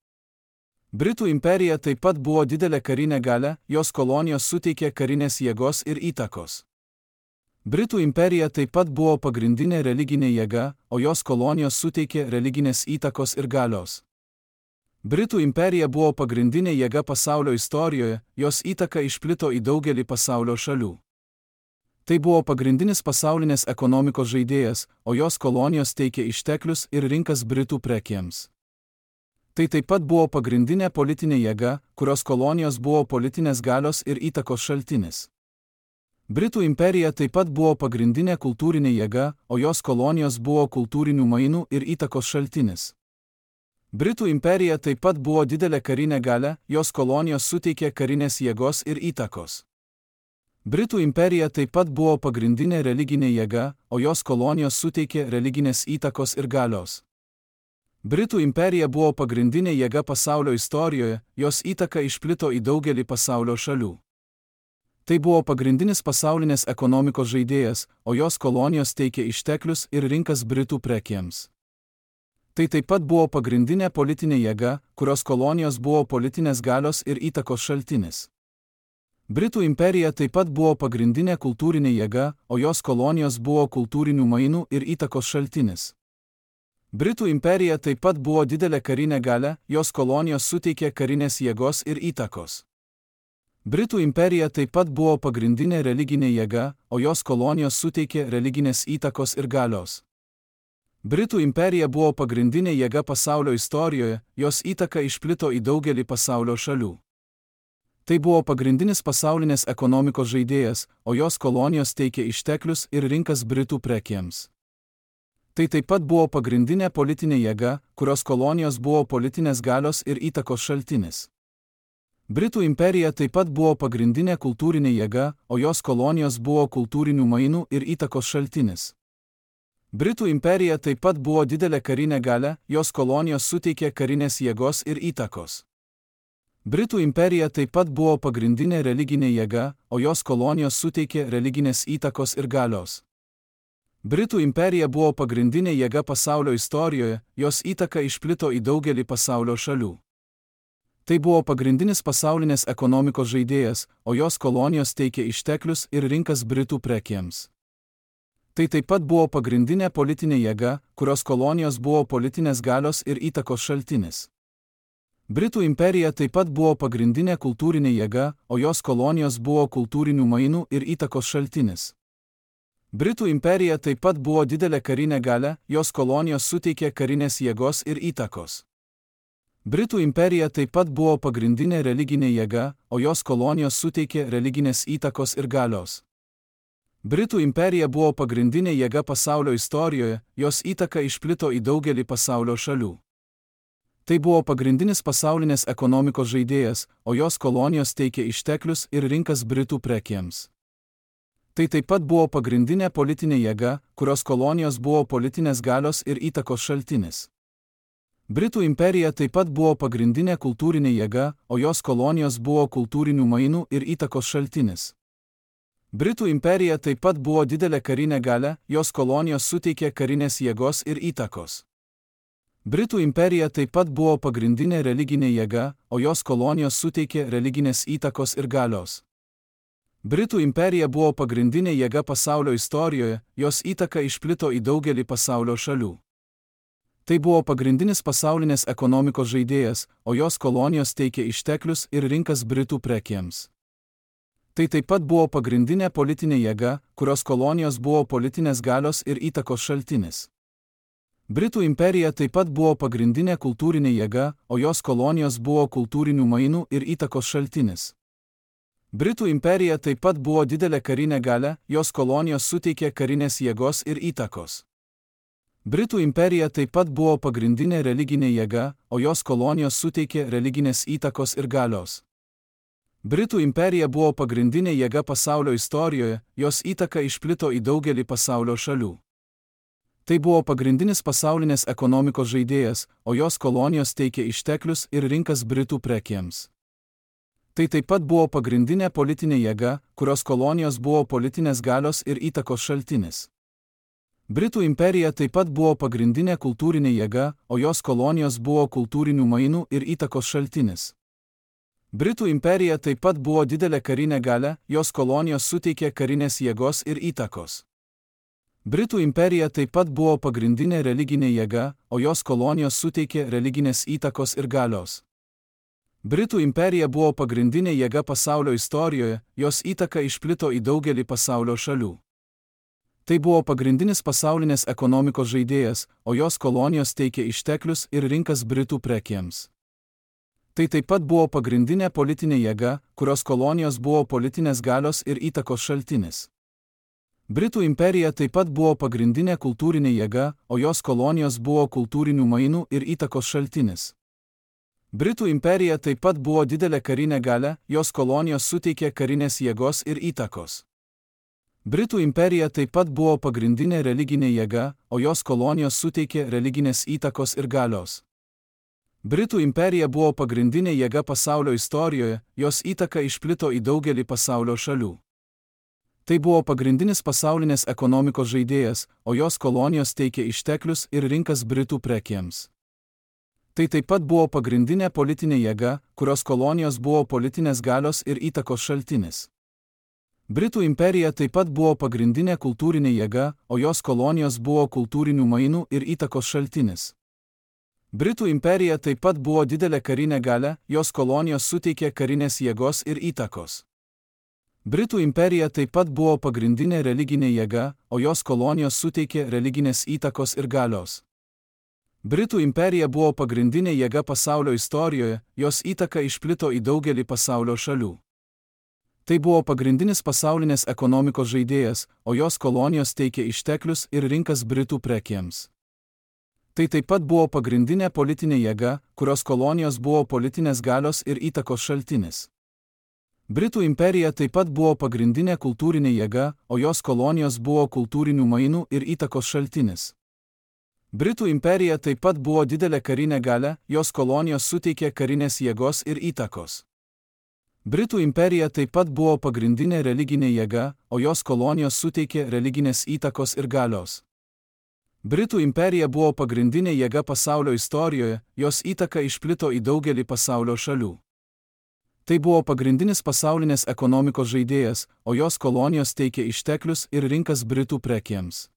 Britų imperija taip pat buvo didelė karinė galia, jos kolonijos suteikė karinės jėgos ir įtakos. Britų imperija taip pat buvo pagrindinė religinė jėga, o jos kolonijos suteikė religinės įtakos ir galios. Britų imperija buvo pagrindinė jėga pasaulio istorijoje, jos įtaka išplito į daugelį pasaulio šalių. Tai buvo pagrindinis pasaulinės ekonomikos žaidėjas, o jos kolonijos teikė išteklius ir rinkas Britų prekėms. Tai taip pat buvo pagrindinė politinė jėga, kurios kolonijos buvo politinės galios ir įtakos šaltinis. Britų imperija taip pat buvo pagrindinė kultūrinė jėga, o jos kolonijos buvo kultūrinių mainų ir įtakos šaltinis. Britų imperija taip pat buvo didelė karinė galia, jos kolonijos suteikė karinės jėgos ir įtakos. Britų imperija taip pat buvo pagrindinė religinė jėga, o jos kolonijos suteikė religinės įtakos ir galios. Britų imperija buvo pagrindinė jėga pasaulio istorijoje, jos įtaka išplito į daugelį pasaulio šalių. Tai buvo pagrindinis pasaulinės ekonomikos žaidėjas, o jos kolonijos teikė išteklius ir rinkas Britų prekėms. Tai taip pat buvo pagrindinė politinė jėga, kurios kolonijos buvo politinės galios ir įtakos šaltinis. Britų imperija taip pat buvo pagrindinė kultūrinė jėga, o jos kolonijos buvo kultūrinių mainų ir įtakos šaltinis. Britų imperija taip pat buvo didelė karinė galia, jos kolonijos suteikė karinės jėgos ir įtakos. Britų imperija taip pat buvo pagrindinė religinė jėga, o jos kolonijos suteikė religinės įtakos ir galios. Britų imperija buvo pagrindinė jėga pasaulio istorijoje, jos įtaka išplito į daugelį pasaulio šalių. Tai buvo pagrindinis pasaulinės ekonomikos žaidėjas, o jos kolonijos teikė išteklius ir rinkas Britų prekėms. Tai taip pat buvo pagrindinė politinė jėga, kurios kolonijos buvo politinės galios ir įtakos šaltinis. Britų imperija taip pat buvo pagrindinė kultūrinė jėga, o jos kolonijos buvo kultūrinių mainų ir įtakos šaltinis. Britų imperija taip pat buvo didelė karinė galia, jos kolonijos suteikė karinės jėgos ir įtakos. Britų imperija taip pat buvo pagrindinė religinė jėga, o jos kolonijos suteikė religinės įtakos ir galios. Britų imperija buvo pagrindinė jėga pasaulio istorijoje, jos įtaka išplito į daugelį pasaulio šalių. Tai buvo pagrindinis pasaulinės ekonomikos žaidėjas, o jos kolonijos teikė išteklius ir rinkas Britų prekėms. Tai taip pat buvo pagrindinė politinė jėga, kurios kolonijos buvo politinės galios ir įtakos šaltinis. Britų imperija taip pat buvo pagrindinė kultūrinė jėga, o jos kolonijos buvo kultūrinių mainų ir įtakos šaltinis. Britų imperija taip pat buvo didelė karinė galia, jos kolonijos suteikė karinės jėgos ir įtakos. Britų imperija taip pat buvo pagrindinė religinė jėga, o jos kolonijos suteikė religinės įtakos ir galios. Britų imperija buvo pagrindinė jėga pasaulio istorijoje, jos įtaka išplito į daugelį pasaulio šalių. Tai buvo pagrindinis pasaulinės ekonomikos žaidėjas, o jos kolonijos teikė išteklius ir rinkas Britų prekėms. Tai taip pat buvo pagrindinė politinė jėga, kurios kolonijos buvo politinės galios ir įtakos šaltinis. Britų imperija taip pat buvo pagrindinė kultūrinė jėga, o jos kolonijos buvo kultūrinių mainų ir įtakos šaltinis. Britų imperija taip pat buvo didelė karinė galia, jos kolonijos suteikė karinės jėgos ir įtakos. Britų imperija taip pat buvo pagrindinė religinė jėga, o jos kolonijos suteikė religinės įtakos ir galios. Britų imperija buvo pagrindinė jėga pasaulio istorijoje, jos įtaka išplito į daugelį pasaulio šalių. Tai buvo pagrindinis pasaulinės ekonomikos žaidėjas, o jos kolonijos teikė išteklius ir rinkas Britų prekėms. Tai taip pat buvo pagrindinė politinė jėga, kurios kolonijos buvo politinės galios ir įtakos šaltinis. Britų imperija taip pat buvo pagrindinė kultūrinė jėga, o jos kolonijos buvo kultūrinių mainų ir įtakos šaltinis. Britų imperija taip pat buvo didelė karinė galia, jos kolonijos suteikė karinės jėgos ir įtakos. Britų imperija taip pat buvo pagrindinė religinė jėga, o jos kolonijos suteikė religinės įtakos ir galios. Britų imperija buvo pagrindinė jėga pasaulio istorijoje, jos įtaka išplito į daugelį pasaulio šalių. Tai buvo pagrindinis pasaulinės ekonomikos žaidėjas, o jos kolonijos teikė išteklius ir rinkas Britų prekėms. Tai taip pat buvo pagrindinė politinė jėga, kurios kolonijos buvo politinės galios ir įtakos šaltinis. Britų imperija taip pat buvo pagrindinė kultūrinė jėga, o jos kolonijos buvo kultūrinių mainų ir įtakos šaltinis. Britų imperija taip pat buvo didelė karinė galia, jos kolonijos suteikė karinės jėgos ir įtakos. Britų imperija taip pat buvo pagrindinė religinė jėga, o jos kolonijos suteikė religinės įtakos ir galios. Britų imperija buvo pagrindinė jėga pasaulio istorijoje, jos įtaka išplito į daugelį pasaulio šalių. Tai buvo pagrindinis pasaulinės ekonomikos žaidėjas, o jos kolonijos teikė išteklius ir rinkas Britų prekėms. Tai taip pat buvo pagrindinė politinė jėga, kurios kolonijos buvo politinės galios ir įtakos šaltinis. Britų imperija taip pat buvo pagrindinė kultūrinė jėga, o jos kolonijos buvo kultūrinių mainų ir įtakos šaltinis. Britų imperija taip pat buvo didelė karinė galia, jos kolonijos suteikė karinės jėgos ir įtakos. Britų imperija taip pat buvo pagrindinė religinė jėga, o jos kolonijos suteikė religinės įtakos ir galios. Britų imperija buvo pagrindinė jėga pasaulio istorijoje, jos įtaka išplito į daugelį pasaulio šalių. Tai buvo pagrindinis pasaulinės ekonomikos žaidėjas, o jos kolonijos teikė išteklius ir rinkas Britų prekėms. Tai taip pat buvo pagrindinė politinė jėga, kurios kolonijos buvo politinės galios ir įtakos šaltinis. Britų imperija taip pat buvo pagrindinė kultūrinė jėga, o jos kolonijos buvo kultūrinių mainų ir įtakos šaltinis. Britų imperija taip pat buvo didelė karinė galia, jos kolonijos suteikė karinės jėgos ir įtakos. Britų imperija taip pat buvo pagrindinė religinė jėga, o jos kolonijos suteikė religinės įtakos ir galios. Britų imperija buvo pagrindinė jėga pasaulio istorijoje, jos įtaka išplito į daugelį pasaulio šalių. Tai buvo pagrindinis pasaulinės ekonomikos žaidėjas, o jos kolonijos teikė išteklius ir rinkas Britų prekėms. Tai taip pat buvo pagrindinė politinė jėga, kurios kolonijos buvo politinės galios ir įtakos šaltinis. Britų imperija taip pat buvo pagrindinė kultūrinė jėga, o jos kolonijos buvo kultūrinių mainų ir įtakos šaltinis. Britų imperija taip pat buvo didelė karinė galia, jos kolonijos suteikė karinės jėgos ir įtakos. Britų imperija taip pat buvo pagrindinė religinė jėga, o jos kolonijos suteikė religinės įtakos ir galios. Britų imperija buvo pagrindinė jėga pasaulio istorijoje, jos įtaka išplito į daugelį pasaulio šalių. Tai buvo pagrindinis pasaulinės ekonomikos žaidėjas, o jos kolonijos teikė išteklius ir rinkas Britų prekėms.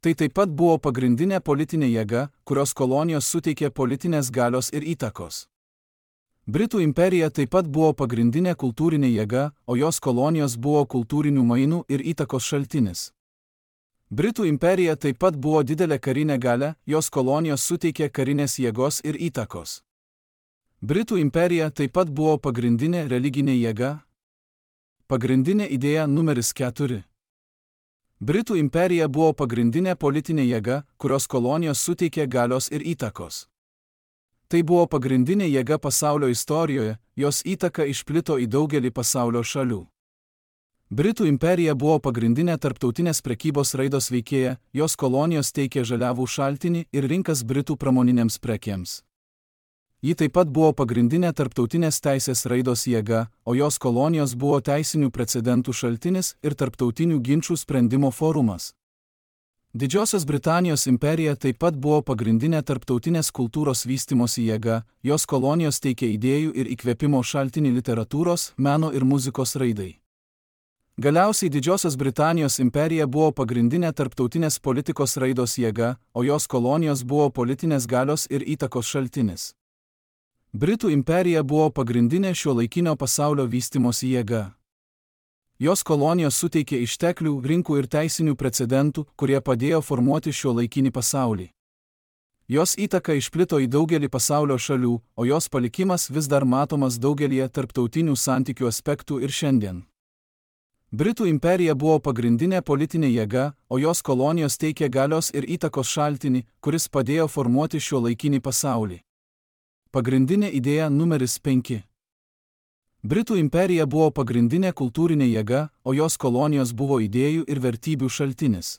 Tai taip pat buvo pagrindinė politinė jėga, kurios kolonijos suteikė politinės galios ir įtakos. Britų imperija taip pat buvo pagrindinė kultūrinė jėga, o jos kolonijos buvo kultūrinių mainų ir įtakos šaltinis. Britų imperija taip pat buvo didelė karinė galia, jos kolonijos suteikė karinės jėgos ir įtakos. Britų imperija taip pat buvo pagrindinė religinė jėga. Pagrindinė idėja numeris 4. Britų imperija buvo pagrindinė politinė jėga, kurios kolonijos suteikė galios ir įtakos. Tai buvo pagrindinė jėga pasaulio istorijoje, jos įtaka išplito į daugelį pasaulio šalių. Britų imperija buvo pagrindinė tarptautinės prekybos raidos veikėja, jos kolonijos teikė žaliavų šaltinį ir rinkas Britų pramoninėms prekėms. Ji taip pat buvo pagrindinė tarptautinės teisės raidos jėga, o jos kolonijos buvo teisinių precedentų šaltinis ir tarptautinių ginčų sprendimo forumas. Didžiosios Britanijos imperija taip pat buvo pagrindinė tarptautinės kultūros vystymosi jėga, jos kolonijos teikė idėjų ir įkvėpimo šaltinį literatūros, meno ir muzikos raidai. Galiausiai Didžiosios Britanijos imperija buvo pagrindinė tarptautinės politikos raidos jėga, o jos kolonijos buvo politinės galios ir įtakos šaltinis. Britų imperija buvo pagrindinė šiuolaikinio pasaulio vystymosi jėga. Jos kolonijos suteikė išteklių, rinkų ir teisinių precedentų, kurie padėjo formuoti šiuolaikinį pasaulį. Jos įtaka išplito į daugelį pasaulio šalių, o jos palikimas vis dar matomas daugelyje tarptautinių santykių aspektų ir šiandien. Britų imperija buvo pagrindinė politinė jėga, o jos kolonijos teikė galios ir įtakos šaltinį, kuris padėjo formuoti šiuolaikinį pasaulį. Pagrindinė idėja numeris 5. Britų imperija buvo pagrindinė kultūrinė jėga, o jos kolonijos buvo idėjų ir vertybių šaltinis.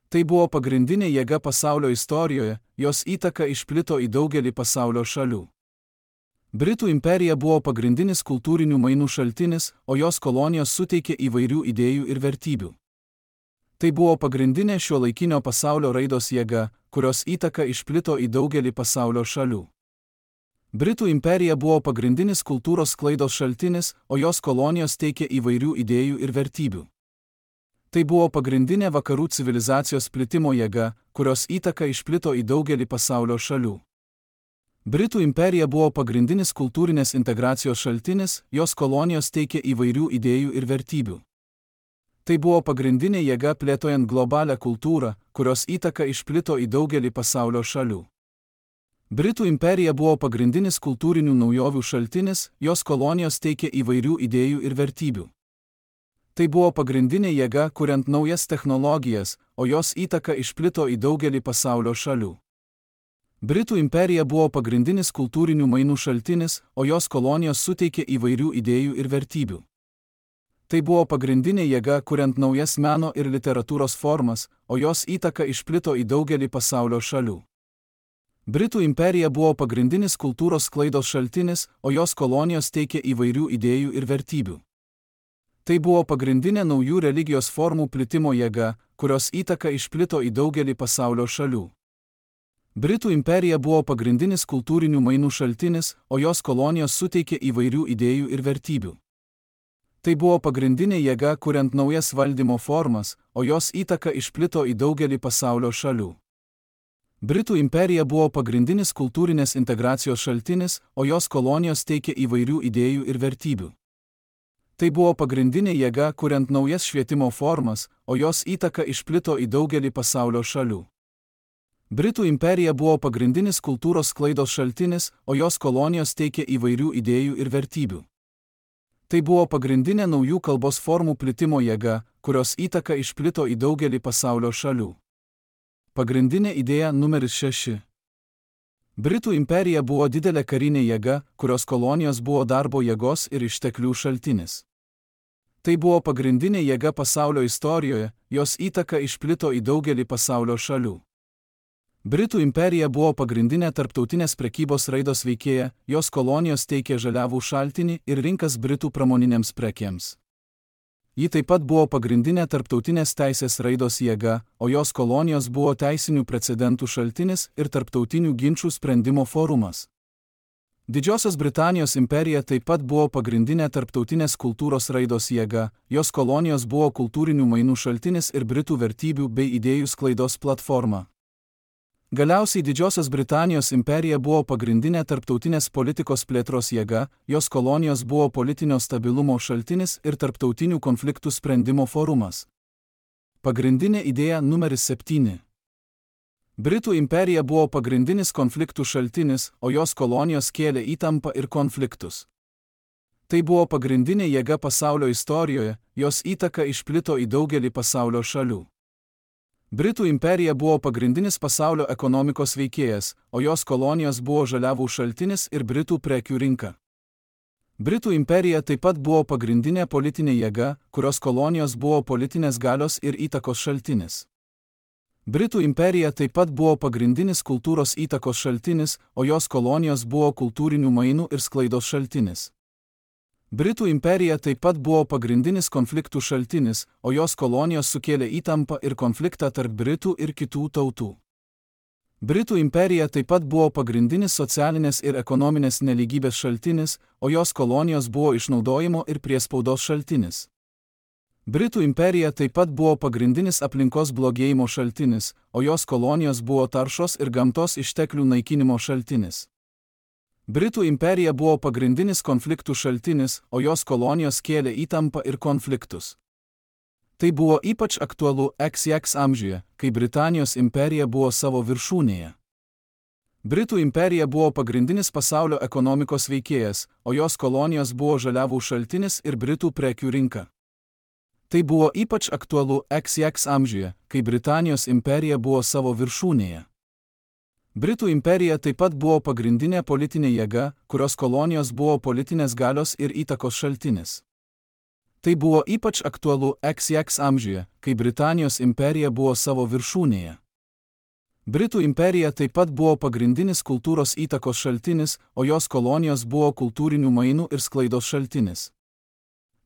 Tai buvo pagrindinė jėga pasaulio istorijoje, jos įtaka išplito į daugelį pasaulio šalių. Britų imperija buvo pagrindinis kultūrinių mainų šaltinis, o jos kolonijos suteikė įvairių idėjų ir vertybių. Tai buvo pagrindinė šiuolaikinio pasaulio raidos jėga, kurios įtaka išplito į daugelį pasaulio šalių. Britų imperija buvo pagrindinis kultūros sklaidos šaltinis, o jos kolonijos teikė įvairių idėjų ir vertybių. Tai buvo pagrindinė vakarų civilizacijos plitimo jėga, kurios įtaka išplito į daugelį pasaulio šalių. Britų imperija buvo pagrindinis kultūrinės integracijos šaltinis, jos kolonijos teikė įvairių idėjų ir vertybių. Tai buvo pagrindinė jėga plėtojant globalią kultūrą, kurios įtaka išplito į daugelį pasaulio šalių. Britų imperija buvo pagrindinis kultūrinių naujovių šaltinis, jos kolonijos teikė įvairių idėjų ir vertybių. Tai buvo pagrindinė jėga, kuriant naujas technologijas, o jos įtaka išplito į daugelį pasaulio šalių. Britų imperija buvo pagrindinis kultūrinių mainų šaltinis, o jos kolonijos suteikė įvairių idėjų ir vertybių. Tai buvo pagrindinė jėga, kuriant naujas meno ir literatūros formas, o jos įtaka išplito į daugelį pasaulio šalių. Britų imperija buvo pagrindinis kultūros sklaidos šaltinis, o jos kolonijos teikė įvairių idėjų ir vertybių. Tai buvo pagrindinė naujų religijos formų plitimo jėga, kurios įtaka išplito į daugelį pasaulio šalių. Britų imperija buvo pagrindinis kultūrinių mainų šaltinis, o jos kolonijos suteikė įvairių idėjų ir vertybių. Tai buvo pagrindinė jėga, kuriant naujas valdymo formas, o jos įtaka išplito į daugelį pasaulio šalių. Britų imperija buvo pagrindinis kultūrinės integracijos šaltinis, o jos kolonijos teikė įvairių idėjų ir vertybių. Tai buvo pagrindinė jėga, kuriant naujas švietimo formas, o jos įtaka išplito į daugelį pasaulio šalių. Britų imperija buvo pagrindinis kultūros sklaidos šaltinis, o jos kolonijos teikė įvairių idėjų ir vertybių. Tai buvo pagrindinė naujų kalbos formų plitimo jėga, kurios įtaka išplito į daugelį pasaulio šalių. Pagrindinė idėja numeris 6. Britų imperija buvo didelė karinė jėga, kurios kolonijos buvo darbo jėgos ir išteklių šaltinis. Tai buvo pagrindinė jėga pasaulio istorijoje, jos įtaka išplito į daugelį pasaulio šalių. Britų imperija buvo pagrindinė tarptautinės prekybos raidos veikėja, jos kolonijos teikė žaliavų šaltinį ir rinkas Britų pramoninėms prekėms. Ji taip pat buvo pagrindinė tarptautinės teisės raidos jėga, o jos kolonijos buvo teisinių precedentų šaltinis ir tarptautinių ginčų sprendimo forumas. Didžiosios Britanijos imperija taip pat buvo pagrindinė tarptautinės kultūros raidos jėga, jos kolonijos buvo kultūrinių mainų šaltinis ir Britų vertybių bei idėjų sklaidos platforma. Galiausiai Didžiosios Britanijos imperija buvo pagrindinė tarptautinės politikos plėtros jėga, jos kolonijos buvo politinio stabilumo šaltinis ir tarptautinių konfliktų sprendimo forumas. Pagrindinė idėja numeris 7. Britų imperija buvo pagrindinis konfliktų šaltinis, o jos kolonijos kėlė įtampą ir konfliktus. Tai buvo pagrindinė jėga pasaulio istorijoje, jos įtaka išplito į daugelį pasaulio šalių. Britų imperija buvo pagrindinis pasaulio ekonomikos veikėjas, o jos kolonijos buvo žaliavų šaltinis ir Britų prekių rinka. Britų imperija taip pat buvo pagrindinė politinė jėga, kurios kolonijos buvo politinės galios ir įtakos šaltinis. Britų imperija taip pat buvo pagrindinis kultūros įtakos šaltinis, o jos kolonijos buvo kultūrinių mainų ir sklaidos šaltinis. Britų imperija taip pat buvo pagrindinis konfliktų šaltinis, o jos kolonijos sukėlė įtampą ir konfliktą tarp Britų ir kitų tautų. Britų imperija taip pat buvo pagrindinis socialinės ir ekonominės nelygybės šaltinis, o jos kolonijos buvo išnaudojimo ir priespaudos šaltinis. Britų imperija taip pat buvo pagrindinis aplinkos blogėjimo šaltinis, o jos kolonijos buvo taršos ir gamtos išteklių naikinimo šaltinis. Britų imperija buvo pagrindinis konfliktų šaltinis, o jos kolonijos kėlė įtampą ir konfliktus. Tai buvo ypač aktualu XX amžiuje, kai Britanijos imperija buvo savo viršūnėje. Britų imperija buvo pagrindinis pasaulio ekonomikos veikėjas, o jos kolonijos buvo žaliavų šaltinis ir Britų prekių rinka. Tai buvo ypač aktualu XX amžiuje, kai Britanijos imperija buvo savo viršūnėje. Britų imperija taip pat buvo pagrindinė politinė jėga, kurios kolonijos buvo politinės galios ir įtakos šaltinis. Tai buvo ypač aktualu XX amžiuje, kai Britanijos imperija buvo savo viršūnėje. Britų imperija taip pat buvo pagrindinis kultūros įtakos šaltinis, o jos kolonijos buvo kultūrinių mainų ir sklaidos šaltinis.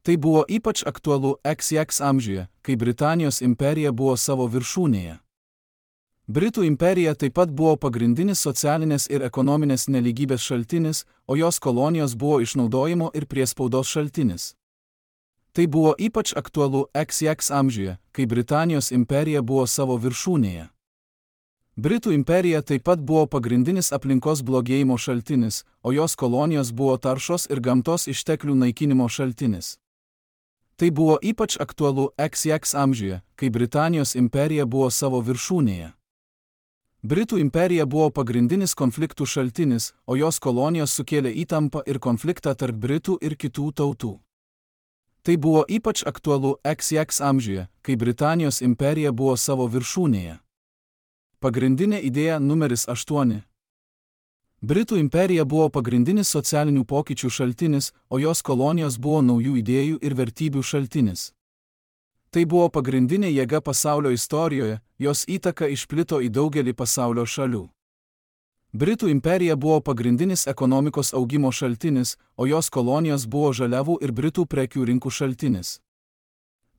Tai buvo ypač aktualu XX amžiuje, kai Britanijos imperija buvo savo viršūnėje. Britų imperija taip pat buvo pagrindinis socialinės ir ekonominės nelygybės šaltinis, o jos kolonijos buvo išnaudojimo ir priespaudos šaltinis. Tai buvo ypač aktualu XX amžiuje, kai Britanijos imperija buvo savo viršūnėje. Britų imperija taip pat buvo pagrindinis aplinkos blogėjimo šaltinis, o jos kolonijos buvo taršos ir gamtos išteklių naikinimo šaltinis. Tai buvo ypač aktualu XX amžiuje, kai Britanijos imperija buvo savo viršūnėje. Britų imperija buvo pagrindinis konfliktų šaltinis, o jos kolonijos sukėlė įtampą ir konfliktą tarp Britų ir kitų tautų. Tai buvo ypač aktualu XX amžiuje, kai Britanijos imperija buvo savo viršūnėje. Pagrindinė idėja numeris 8. Britų imperija buvo pagrindinis socialinių pokyčių šaltinis, o jos kolonijos buvo naujų idėjų ir vertybių šaltinis. Tai buvo pagrindinė jėga pasaulio istorijoje, jos įtaka išplito į daugelį pasaulio šalių. Britų imperija buvo pagrindinis ekonomikos augimo šaltinis, o jos kolonijos buvo žaliavų ir Britų prekių rinkų šaltinis.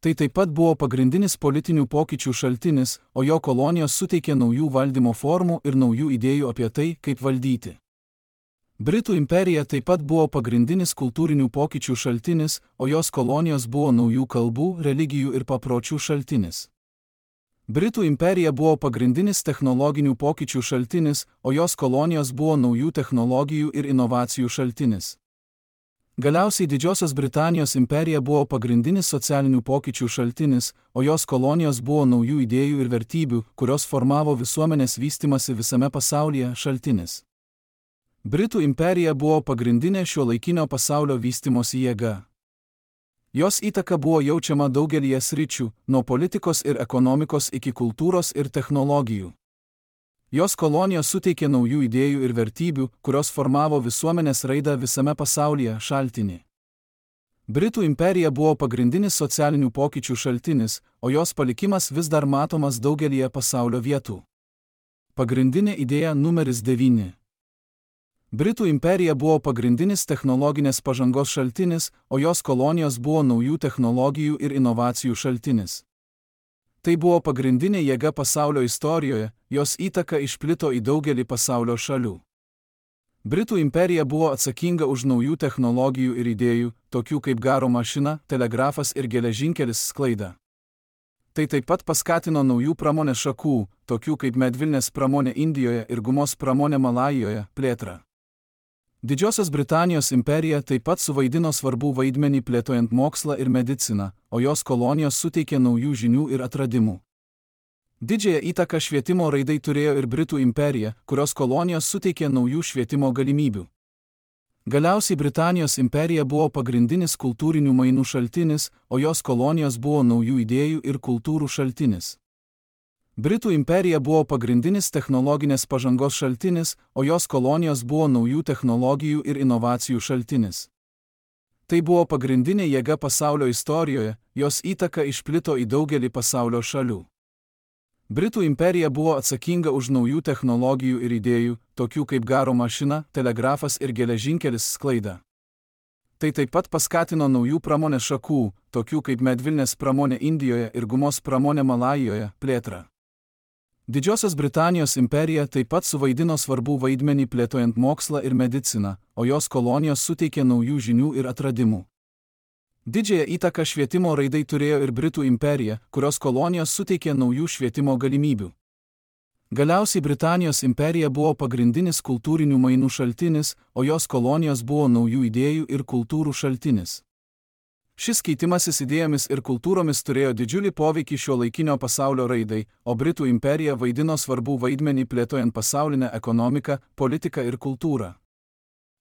Tai taip pat buvo pagrindinis politinių pokyčių šaltinis, o jo kolonijos suteikė naujų valdymo formų ir naujų idėjų apie tai, kaip valdyti. Britų imperija taip pat buvo pagrindinis kultūrinių pokyčių šaltinis, o jos kolonijos buvo naujų kalbų, religijų ir papročių šaltinis. Britų imperija buvo pagrindinis technologinių pokyčių šaltinis, o jos kolonijos buvo naujų technologijų ir inovacijų šaltinis. Galiausiai Didžiosios Britanijos imperija buvo pagrindinis socialinių pokyčių šaltinis, o jos kolonijos buvo naujų idėjų ir vertybių, kurios formavo visuomenės vystymąsi visame pasaulyje šaltinis. Britų imperija buvo pagrindinė šiuolaikinio pasaulio vystymosi jėga. Jos įtaka buvo jaučiama daugelyje sričių, nuo politikos ir ekonomikos iki kultūros ir technologijų. Jos kolonijos suteikė naujų idėjų ir vertybių, kurios formavo visuomenės raidą visame pasaulyje šaltinį. Britų imperija buvo pagrindinis socialinių pokyčių šaltinis, o jos palikimas vis dar matomas daugelyje pasaulio vietų. Pagrindinė idėja numeris 9. Britų imperija buvo pagrindinis technologinės pažangos šaltinis, o jos kolonijos buvo naujų technologijų ir inovacijų šaltinis. Tai buvo pagrindinė jėga pasaulio istorijoje, jos įtaka išplito į daugelį pasaulio šalių. Britų imperija buvo atsakinga už naujų technologijų ir idėjų, tokių kaip garo mašina, telegrafas ir geležinkelis sklaidą. Tai taip pat paskatino naujų pramonės šakų, tokių kaip medvilnės pramonė Indijoje ir gumos pramonė Malajoje, plėtrą. Didžiosios Britanijos imperija taip pat suvaidino svarbų vaidmenį plėtojant mokslą ir mediciną, o jos kolonijos suteikė naujų žinių ir atradimų. Didžiąją įtaką švietimo raidai turėjo ir Britų imperija, kurios kolonijos suteikė naujų švietimo galimybių. Galiausiai Britanijos imperija buvo pagrindinis kultūrinių mainų šaltinis, o jos kolonijos buvo naujų idėjų ir kultūrų šaltinis. Britų imperija buvo pagrindinis technologinės pažangos šaltinis, o jos kolonijos buvo naujų technologijų ir inovacijų šaltinis. Tai buvo pagrindinė jėga pasaulio istorijoje, jos įtaka išplito į daugelį pasaulio šalių. Britų imperija buvo atsakinga už naujų technologijų ir idėjų, tokių kaip garo mašina, telegrafas ir geležinkelis sklaidą. Tai taip pat paskatino naujų pramonės šakų, tokių kaip medvilnės pramonė Indijoje ir gumos pramonė Malajoje, plėtrą. Didžiosios Britanijos imperija taip pat suvaidino svarbų vaidmenį plėtojant mokslą ir mediciną, o jos kolonijos suteikė naujų žinių ir atradimų. Didžiąją įtaką švietimo raidai turėjo ir Britų imperija, kurios kolonijos suteikė naujų švietimo galimybių. Galiausiai Britanijos imperija buvo pagrindinis kultūrinių mainų šaltinis, o jos kolonijos buvo naujų idėjų ir kultūrų šaltinis. Šis keitimasis idėjomis ir kultūromis turėjo didžiulį poveikį šiuolaikinio pasaulio raidai, o Britų imperija vaidino svarbų vaidmenį plėtojant pasaulinę ekonomiką, politiką ir kultūrą.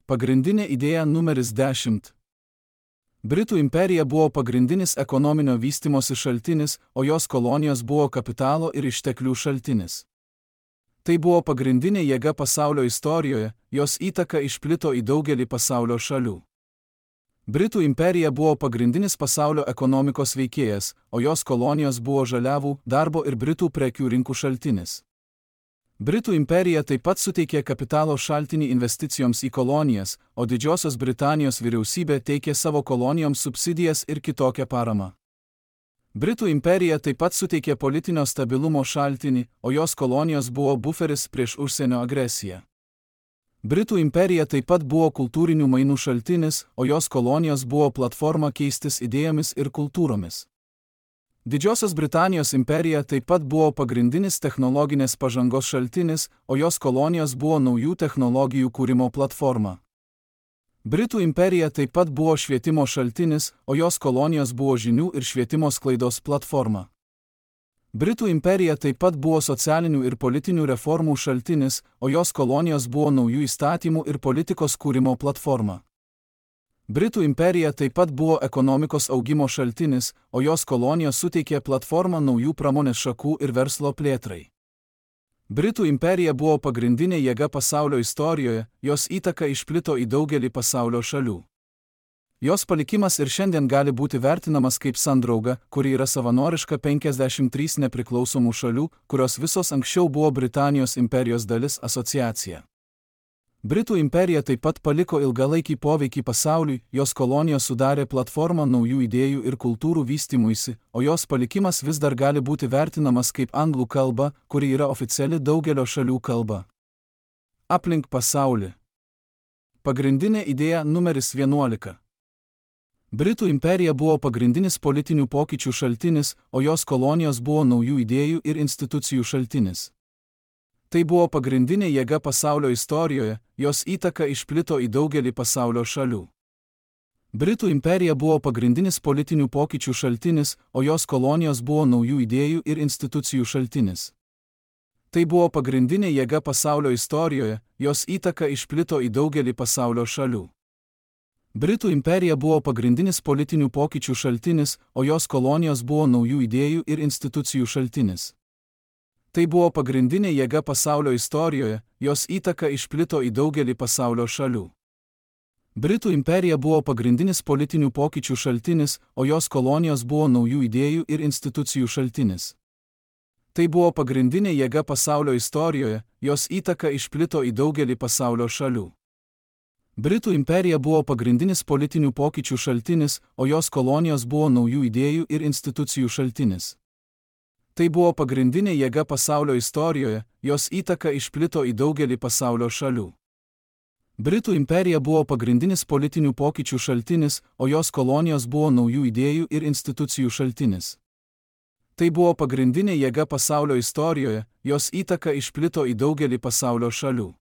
Pagrindinė idėja numeris 10. Britų imperija buvo pagrindinis ekonominio vystymosi šaltinis, o jos kolonijos buvo kapitalo ir išteklių šaltinis. Tai buvo pagrindinė jėga pasaulio istorijoje, jos įtaka išplito į daugelį pasaulio šalių. Britų imperija buvo pagrindinis pasaulio ekonomikos veikėjas, o jos kolonijos buvo žaliavų, darbo ir Britų prekių rinkų šaltinis. Britų imperija taip pat suteikė kapitalo šaltinį investicijoms į kolonijas, o Didžiosios Britanijos vyriausybė teikė savo kolonijoms subsidijas ir kitokią paramą. Britų imperija taip pat suteikė politinio stabilumo šaltinį, o jos kolonijos buvo buferis prieš užsienio agresiją. Britų imperija taip pat buvo kultūrinių mainų šaltinis, o jos kolonijos buvo platforma keistis idėjomis ir kultūromis. Didžiosios Britanijos imperija taip pat buvo pagrindinis technologinės pažangos šaltinis, o jos kolonijos buvo naujų technologijų kūrimo platforma. Britų imperija taip pat buvo švietimo šaltinis, o jos kolonijos buvo žinių ir švietimo sklaidos platforma. Britų imperija taip pat buvo socialinių ir politinių reformų šaltinis, o jos kolonijos buvo naujų įstatymų ir politikos kūrimo platforma. Britų imperija taip pat buvo ekonomikos augimo šaltinis, o jos kolonijos suteikė platformą naujų pramonės šakų ir verslo plėtrai. Britų imperija buvo pagrindinė jėga pasaulio istorijoje, jos įtaka išplito į daugelį pasaulio šalių. Jos palikimas ir šiandien gali būti vertinamas kaip sandrauga, kuri yra savanoriška 53 nepriklausomų šalių, kurios visos anksčiau buvo Britanijos imperijos dalis asociacija. Britų imperija taip pat paliko ilgalaikį poveikį pasauliui, jos kolonijos sudarė platformą naujų idėjų ir kultūrų vystymuisi, o jos palikimas vis dar gali būti vertinamas kaip anglų kalba, kuri yra oficiali daugelio šalių kalba. Aplink pasaulį. Pagrindinė idėja numeris 11. Britų imperija buvo pagrindinis politinių pokyčių šaltinis, o jos kolonijos buvo naujų idėjų ir institucijų šaltinis. Tai buvo pagrindinė jėga pasaulio istorijoje, jos įtaka išplito į daugelį pasaulio šalių. Britų imperija buvo pagrindinis politinių pokyčių šaltinis, o jos kolonijos buvo naujų idėjų ir institucijų šaltinis. Tai buvo pagrindinė jėga pasaulio istorijoje, jos įtaka išplito į daugelį pasaulio šalių. Britų imperija buvo pagrindinis politinių pokyčių šaltinis, o jos kolonijos buvo naujų idėjų ir institucijų šaltinis. Tai buvo pagrindinė jėga pasaulio istorijoje, jos įtaka išplito į daugelį pasaulio šalių. Britų imperija buvo pagrindinis politinių pokyčių šaltinis, o jos kolonijos buvo naujų idėjų ir institucijų šaltinis. Tai buvo pagrindinė jėga pasaulio istorijoje, jos įtaka išplito į daugelį pasaulio šalių. Britų imperija buvo pagrindinis politinių pokyčių šaltinis, o jos kolonijos buvo naujų idėjų ir institucijų šaltinis. Tai buvo pagrindinė jėga pasaulio istorijoje, jos įtaka išplito į daugelį pasaulio šalių. Britų imperija buvo pagrindinis politinių pokyčių šaltinis, o jos kolonijos buvo naujų idėjų ir institucijų šaltinis. Tai buvo pagrindinė jėga pasaulio istorijoje, jos įtaka išplito į daugelį pasaulio šalių.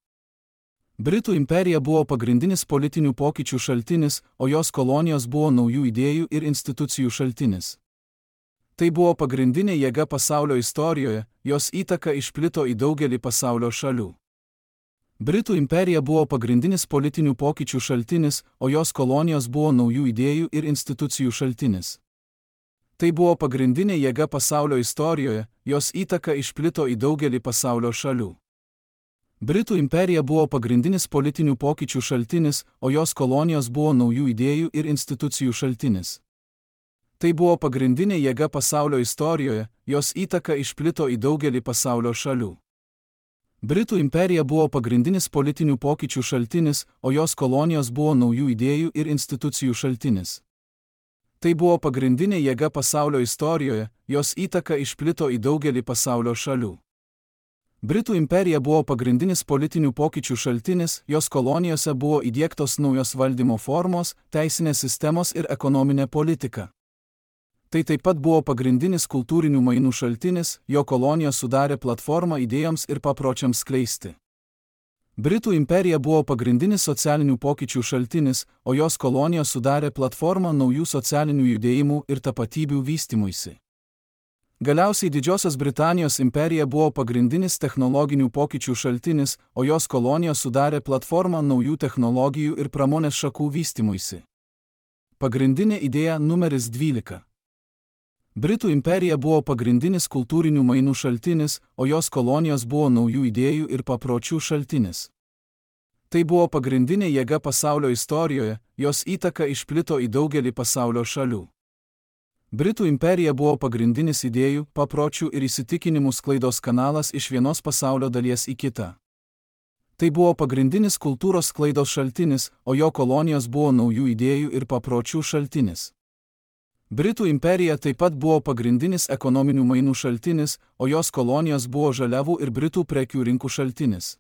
Britų imperija buvo pagrindinis politinių pokyčių šaltinis, o jos kolonijos buvo naujų idėjų ir institucijų šaltinis. Tai buvo pagrindinė jėga pasaulio istorijoje, jos įtaka išplito į daugelį pasaulio šalių. Britų imperija buvo pagrindinis politinių pokyčių šaltinis, o jos kolonijos buvo naujų idėjų ir institucijų šaltinis. Tai buvo pagrindinė jėga pasaulio istorijoje, jos įtaka išplito į daugelį pasaulio šalių. Britų imperija buvo pagrindinis politinių pokyčių šaltinis, o jos kolonijos buvo naujų idėjų ir institucijų šaltinis. Tai buvo pagrindinė jėga pasaulio istorijoje, jos įtaka išplito į daugelį pasaulio šalių. Britų imperija buvo pagrindinis politinių pokyčių šaltinis, o jos kolonijos buvo naujų idėjų ir institucijų šaltinis. Tai buvo pagrindinė jėga pasaulio istorijoje, jos įtaka išplito į daugelį pasaulio šalių. Britų imperija buvo pagrindinis politinių pokyčių šaltinis, jos kolonijose buvo įdiegtos naujos valdymo formos, teisinės sistemos ir ekonominė politika. Tai taip pat buvo pagrindinis kultūrinių mainų šaltinis, jo kolonijos sudarė platformą idėjoms ir papročiams skleisti. Britų imperija buvo pagrindinis socialinių pokyčių šaltinis, o jos kolonijos sudarė platformą naujų socialinių judėjimų ir tapatybių vystymuisi. Galiausiai Didžiosios Britanijos imperija buvo pagrindinis technologinių pokyčių šaltinis, o jos kolonijos sudarė platformą naujų technologijų ir pramonės šakų vystymuisi. Pagrindinė idėja numeris 12. Britų imperija buvo pagrindinis kultūrinių mainų šaltinis, o jos kolonijos buvo naujų idėjų ir papročių šaltinis. Tai buvo pagrindinė jėga pasaulio istorijoje, jos įtaka išplito į daugelį pasaulio šalių. Britų imperija buvo pagrindinis idėjų, papročių ir įsitikinimų sklaidos kanalas iš vienos pasaulio dalies į kitą. Tai buvo pagrindinis kultūros sklaidos šaltinis, o jo kolonijos buvo naujų idėjų ir papročių šaltinis. Britų imperija taip pat buvo pagrindinis ekonominių mainų šaltinis, o jos kolonijos buvo žaliavų ir Britų prekių rinkų šaltinis.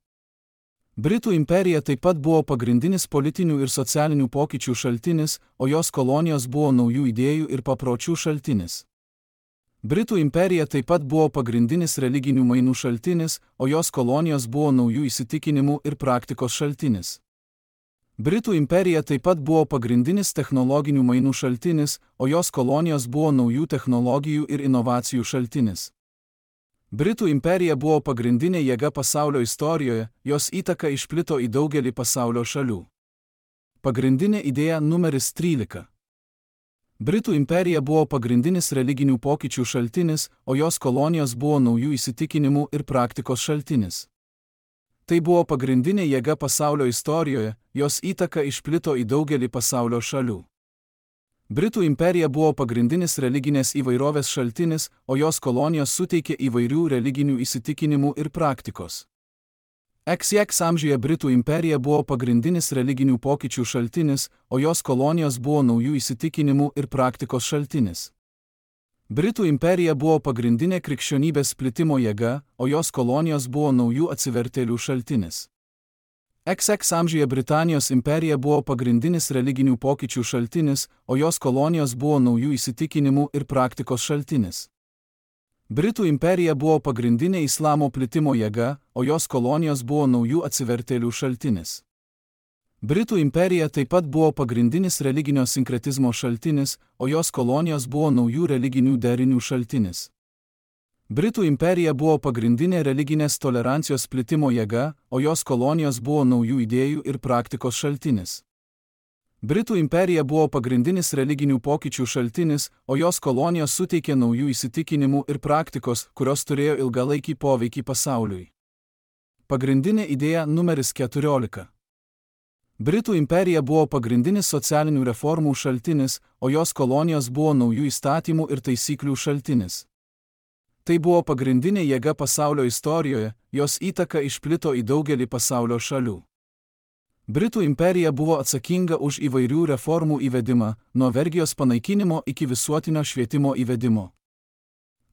Britų imperija taip pat buvo pagrindinis politinių ir socialinių pokyčių šaltinis, o jos kolonijos buvo naujų idėjų ir papročių šaltinis. Britų imperija taip pat buvo pagrindinis religinių mainų šaltinis, o jos kolonijos buvo naujų įsitikinimų ir praktikos šaltinis. Britų imperija taip pat buvo pagrindinis technologinių mainų šaltinis, o jos kolonijos buvo naujų technologijų ir inovacijų šaltinis. Britų imperija buvo pagrindinė jėga pasaulio istorijoje, jos įtaka išplito į daugelį pasaulio šalių. Pagrindinė idėja numeris 13. Britų imperija buvo pagrindinis religinių pokyčių šaltinis, o jos kolonijos buvo naujų įsitikinimų ir praktikos šaltinis. Tai buvo pagrindinė jėga pasaulio istorijoje, jos įtaka išplito į daugelį pasaulio šalių. Britų imperija buvo pagrindinis religinės įvairovės šaltinis, o jos kolonijos suteikė įvairių religinių įsitikinimų ir praktikos. XX amžiuje Britų imperija buvo pagrindinis religinių pokyčių šaltinis, o jos kolonijos buvo naujų įsitikinimų ir praktikos šaltinis. Britų imperija buvo pagrindinė krikščionybės plitimo jėga, o jos kolonijos buvo naujų atsivertėlių šaltinis. XX amžiuje Britanijos imperija buvo pagrindinis religinių pokyčių šaltinis, o jos kolonijos buvo naujų įsitikinimų ir praktikos šaltinis. Britų imperija buvo pagrindinė islamo plitimo jėga, o jos kolonijos buvo naujų atsivertėlių šaltinis. Britų imperija taip pat buvo pagrindinis religinio sinkretizmo šaltinis, o jos kolonijos buvo naujų religinių derinių šaltinis. Britų imperija buvo pagrindinė religinės tolerancijos plitimo jėga, o jos kolonijos buvo naujų idėjų ir praktikos šaltinis. Britų imperija buvo pagrindinis religinių pokyčių šaltinis, o jos kolonijos suteikė naujų įsitikinimų ir praktikos, kurios turėjo ilgalaikį poveikį pasauliui. Pagrindinė idėja numeris 14. Britų imperija buvo pagrindinis socialinių reformų šaltinis, o jos kolonijos buvo naujų įstatymų ir taisyklių šaltinis. Tai buvo pagrindinė jėga pasaulio istorijoje, jos įtaka išplito į daugelį pasaulio šalių. Britų imperija buvo atsakinga už įvairių reformų įvedimą, nuo vergijos panaikinimo iki visuotinio švietimo įvedimo.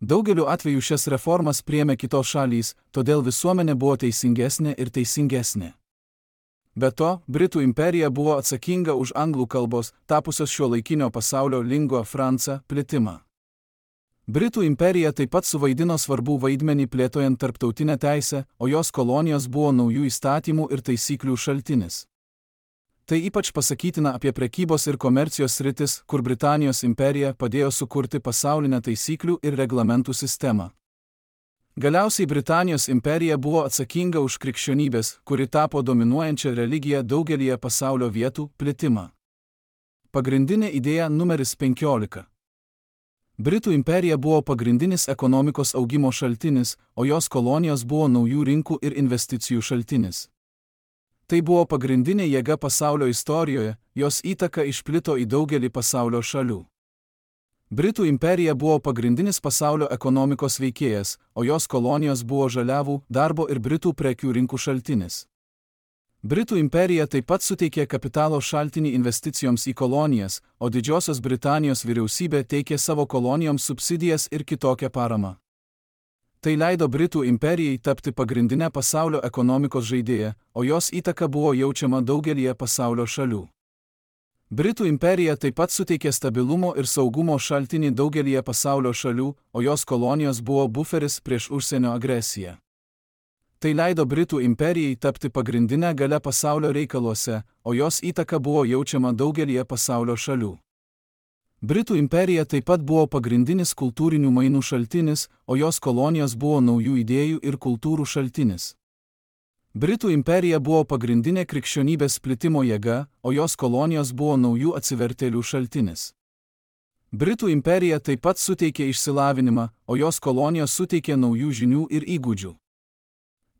Daugeliu atveju šias reformas priėmė kitos šalys, todėl visuomenė buvo teisingesnė ir teisingesnė. Be to, Britų imperija buvo atsakinga už anglų kalbos, tapusios šiuolaikinio pasaulio lingua franca, plitimą. Britų imperija taip pat suvaidino svarbų vaidmenį plėtojant tarptautinę teisę, o jos kolonijos buvo naujų įstatymų ir taisyklių šaltinis. Tai ypač pasakytina apie prekybos ir komercijos sritis, kur Britanijos imperija padėjo sukurti pasaulinę taisyklių ir reglamentų sistemą. Galiausiai Britanijos imperija buvo atsakinga už krikščionybės, kuri tapo dominuojančia religija daugelyje pasaulio vietų, plitimą. Pagrindinė idėja numeris 15. Britų imperija buvo pagrindinis ekonomikos augimo šaltinis, o jos kolonijos buvo naujų rinkų ir investicijų šaltinis. Tai buvo pagrindinė jėga pasaulio istorijoje, jos įtaka išplito į daugelį pasaulio šalių. Britų imperija buvo pagrindinis pasaulio ekonomikos veikėjas, o jos kolonijos buvo žaliavų, darbo ir Britų prekių rinkų šaltinis. Britų imperija taip pat suteikė kapitalo šaltinį investicijoms į kolonijas, o Didžiosios Britanijos vyriausybė teikė savo kolonijoms subsidijas ir kitokią paramą. Tai leido Britų imperijai tapti pagrindinę pasaulio ekonomikos žaidėją, o jos įtaka buvo jaučiama daugelyje pasaulio šalių. Britų imperija taip pat suteikė stabilumo ir saugumo šaltinį daugelyje pasaulio šalių, o jos kolonijos buvo buferis prieš užsienio agresiją. Tai leido Britų imperijai tapti pagrindinę galę pasaulio reikaluose, o jos įtaka buvo jaučiama daugelyje pasaulio šalių. Britų imperija taip pat buvo pagrindinis kultūrinių mainų šaltinis, o jos kolonijos buvo naujų idėjų ir kultūrų šaltinis. Britų imperija buvo pagrindinė krikščionybės plitimo jėga, o jos kolonijos buvo naujų atsivertėlių šaltinis. Britų imperija taip pat suteikė išsilavinimą, o jos kolonijos suteikė naujų žinių ir įgūdžių.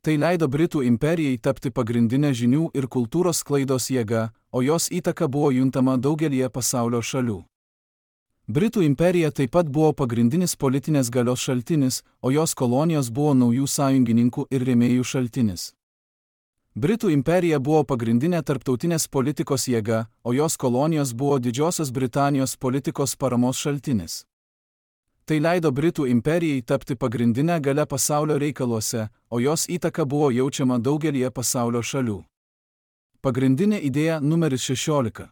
Tai leido Britų imperijai tapti pagrindinę žinių ir kultūros sklaidos jėga, o jos įtaka buvo juntama daugelyje pasaulio šalių. Britų imperija taip pat buvo pagrindinis politinės galios šaltinis, o jos kolonijos buvo naujų sąjungininkų ir rėmėjų šaltinis. Britų imperija buvo pagrindinė tarptautinės politikos jėga, o jos kolonijos buvo Didžiosios Britanijos politikos paramos šaltinis. Tai leido Britų imperijai tapti pagrindinę galę pasaulio reikaluose, o jos įtaka buvo jaučiama daugelyje pasaulio šalių. Pagrindinė idėja numeris 16.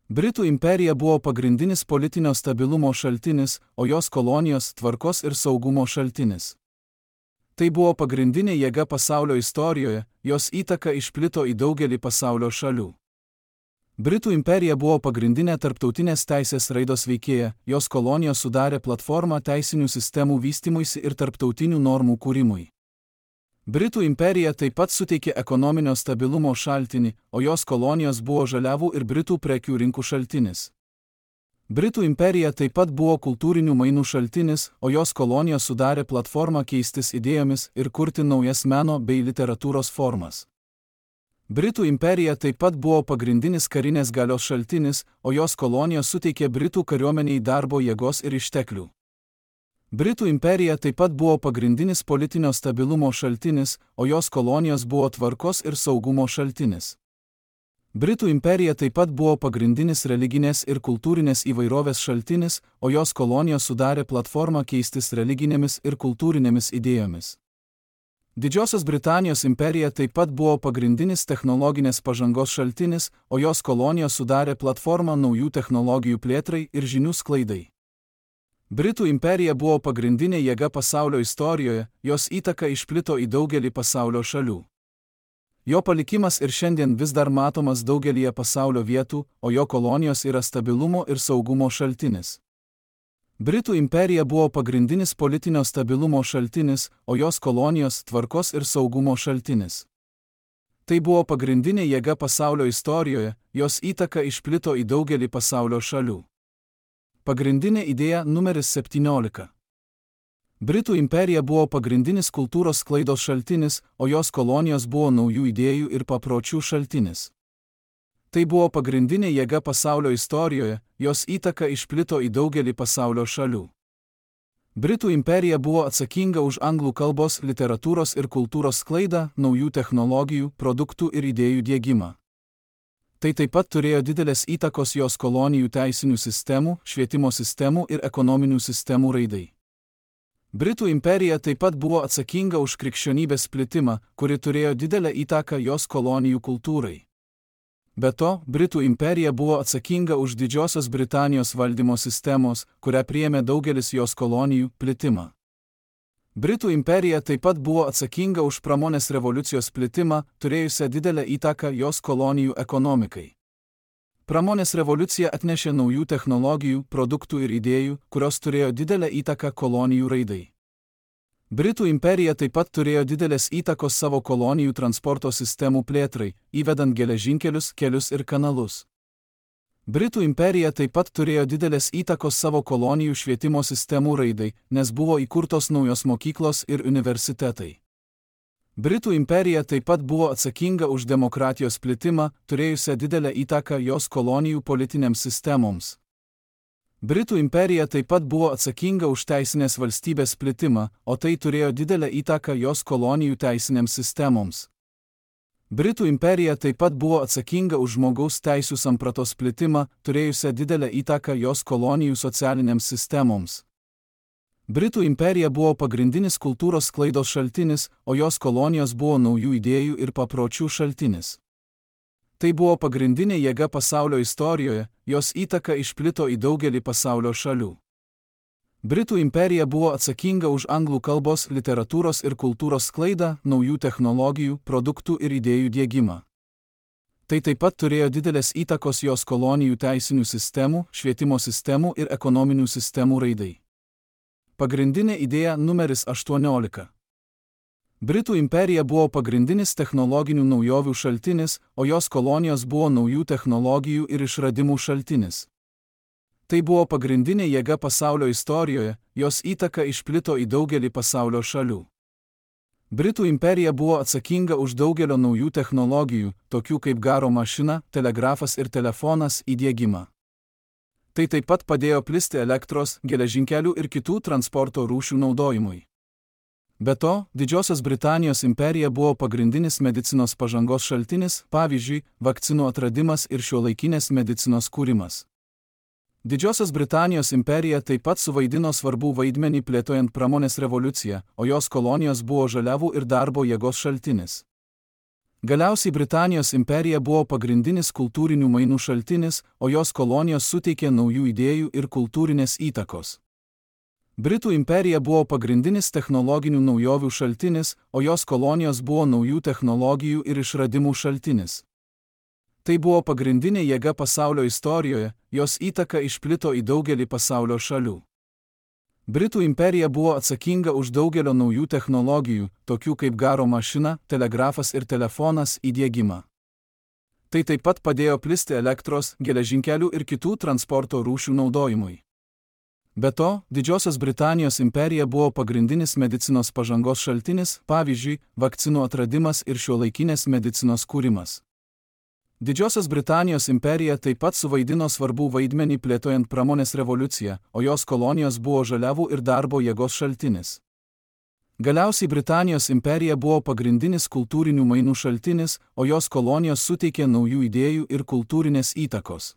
Britų imperija buvo pagrindinis politinio stabilumo šaltinis, o jos kolonijos tvarkos ir saugumo šaltinis. Tai buvo pagrindinė jėga pasaulio istorijoje, jos įtaka išplito į daugelį pasaulio šalių. Britų imperija buvo pagrindinė tarptautinės teisės raidos veikėja, jos kolonijos sudarė platformą teisinių sistemų vystymuisi ir tarptautinių normų kūrimui. Britų imperija taip pat suteikė ekonominio stabilumo šaltinį, o jos kolonijos buvo žaliavų ir Britų prekių rinkų šaltinis. Britų imperija taip pat buvo kultūrinių mainų šaltinis, o jos kolonijos sudarė platformą keistis idėjomis ir kurti naujas meno bei literatūros formas. Britų imperija taip pat buvo pagrindinis karinės galios šaltinis, o jos kolonijos suteikė Britų kariuomeniai darbo jėgos ir išteklių. Britų imperija taip pat buvo pagrindinis politinio stabilumo šaltinis, o jos kolonijos buvo tvarkos ir saugumo šaltinis. Britų imperija taip pat buvo pagrindinis religinės ir kultūrinės įvairovės šaltinis, o jos kolonijos sudarė platformą keistis religinėmis ir kultūrinėmis idėjomis. Didžiosios Britanijos imperija taip pat buvo pagrindinis technologinės pažangos šaltinis, o jos kolonijos sudarė platformą naujų technologijų plėtrai ir žinių sklaidai. Britų imperija buvo pagrindinė jėga pasaulio istorijoje, jos įtaka išplito į daugelį pasaulio šalių. Jo palikimas ir šiandien vis dar matomas daugelyje pasaulio vietų, o jo kolonijos yra stabilumo ir saugumo šaltinis. Britų imperija buvo pagrindinis politinio stabilumo šaltinis, o jos kolonijos tvarkos ir saugumo šaltinis. Tai buvo pagrindinė jėga pasaulio istorijoje, jos įtaka išplito į daugelį pasaulio šalių. Pagrindinė idėja numeris 17. Britų imperija buvo pagrindinis kultūros sklaidos šaltinis, o jos kolonijos buvo naujų idėjų ir papročių šaltinis. Tai buvo pagrindinė jėga pasaulio istorijoje, jos įtaka išplito į daugelį pasaulio šalių. Britų imperija buvo atsakinga už anglų kalbos, literatūros ir kultūros sklaidą, naujų technologijų, produktų ir idėjų diegimą. Tai taip pat turėjo didelės įtakos jos kolonijų teisinių sistemų, švietimo sistemų ir ekonominių sistemų raidai. Britų imperija taip pat buvo atsakinga už krikščionybės plitimą, kuri turėjo didelę įtaką jos kolonijų kultūrai. Be to, Britų imperija buvo atsakinga už Didžiosios Britanijos valdymo sistemos, kurią priėmė daugelis jos kolonijų, plitimą. Britų imperija taip pat buvo atsakinga už pramonės revoliucijos plitimą, turėjusią didelę įtaką jos kolonijų ekonomikai. Pramonės revoliucija atnešė naujų technologijų, produktų ir idėjų, kurios turėjo didelę įtaką kolonijų raidai. Britų imperija taip pat turėjo didelės įtakos savo kolonijų transporto sistemų plėtrai, įvedant geležinkelius, kelius ir kanalus. Britų imperija taip pat turėjo didelės įtakos savo kolonijų švietimo sistemų raidai, nes buvo įkurtos naujos mokyklos ir universitetai. Britų imperija taip pat buvo atsakinga už demokratijos plitimą, turėjusią didelę įtaką jos kolonijų politinėms sistemoms. Britų imperija taip pat buvo atsakinga už teisinės valstybės plitimą, o tai turėjo didelę įtaką jos kolonijų teisinėms sistemoms. Britų imperija taip pat buvo atsakinga už žmogaus teisių sampratos plitimą, turėjusią didelę įtaką jos kolonijų socialinėms sistemoms. Britų imperija buvo pagrindinis kultūros sklaidos šaltinis, o jos kolonijos buvo naujų idėjų ir papročių šaltinis. Tai buvo pagrindinė jėga pasaulio istorijoje, jos įtaka išplito į daugelį pasaulio šalių. Britų imperija buvo atsakinga už anglų kalbos, literatūros ir kultūros sklaidą, naujų technologijų, produktų ir idėjų diegimą. Tai taip pat turėjo didelės įtakos jos kolonijų teisinių sistemų, švietimo sistemų ir ekonominių sistemų raidai. Pagrindinė idėja numeris 18. Britų imperija buvo pagrindinis technologinių naujovių šaltinis, o jos kolonijos buvo naujų technologijų ir išradimų šaltinis. Tai buvo pagrindinė jėga pasaulio istorijoje, jos įtaka išplito į daugelį pasaulio šalių. Britų imperija buvo atsakinga už daugelio naujų technologijų, tokių kaip garo mašina, telegrafas ir telefonas, įdiegimą. Tai taip pat padėjo plisti elektros, geležinkelių ir kitų transporto rūšių naudojimui. Be to, Didžiosios Britanijos imperija buvo pagrindinis medicinos pažangos šaltinis, pavyzdžiui, vakcinų atradimas ir šiuolaikinės medicinos kūrimas. Didžiosios Britanijos imperija taip pat suvaidino svarbų vaidmenį plėtojant pramonės revoliuciją, o jos kolonijos buvo žaliavų ir darbo jėgos šaltinis. Galiausiai Britanijos imperija buvo pagrindinis kultūrinių mainų šaltinis, o jos kolonijos suteikė naujų idėjų ir kultūrinės įtakos. Britų imperija buvo pagrindinis technologinių naujovių šaltinis, o jos kolonijos buvo naujų technologijų ir išradimų šaltinis. Tai buvo pagrindinė jėga pasaulio istorijoje, jos įtaka išplito į daugelį pasaulio šalių. Britų imperija buvo atsakinga už daugelio naujų technologijų, tokių kaip garo mašina, telegrafas ir telefonas, įdiegimą. Tai taip pat padėjo plisti elektros, geležinkelių ir kitų transporto rūšių naudojimui. Be to, Didžiosios Britanijos imperija buvo pagrindinis medicinos pažangos šaltinis, pavyzdžiui, vakcinų atradimas ir šiuolaikinės medicinos kūrimas. Didžiosios Britanijos imperija taip pat suvaidino svarbų vaidmenį plėtojant pramonės revoliuciją, o jos kolonijos buvo žaliavų ir darbo jėgos šaltinis. Galiausiai Britanijos imperija buvo pagrindinis kultūrinių mainų šaltinis, o jos kolonijos suteikė naujų idėjų ir kultūrinės įtakos.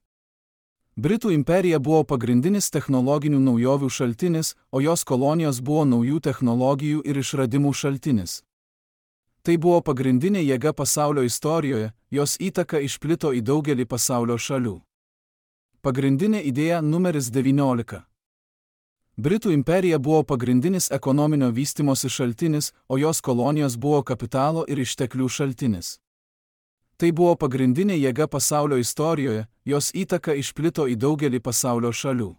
Britų imperija buvo pagrindinis technologinių naujovių šaltinis, o jos kolonijos buvo naujų technologijų ir išradimų šaltinis. Tai buvo pagrindinė jėga pasaulio istorijoje, jos įtaka išplito į daugelį pasaulio šalių. Pagrindinė idėja numeris 19. Britų imperija buvo pagrindinis ekonominio vystimosi šaltinis, o jos kolonijos buvo kapitalo ir išteklių šaltinis. Tai buvo pagrindinė jėga pasaulio istorijoje, jos įtaka išplito į daugelį pasaulio šalių.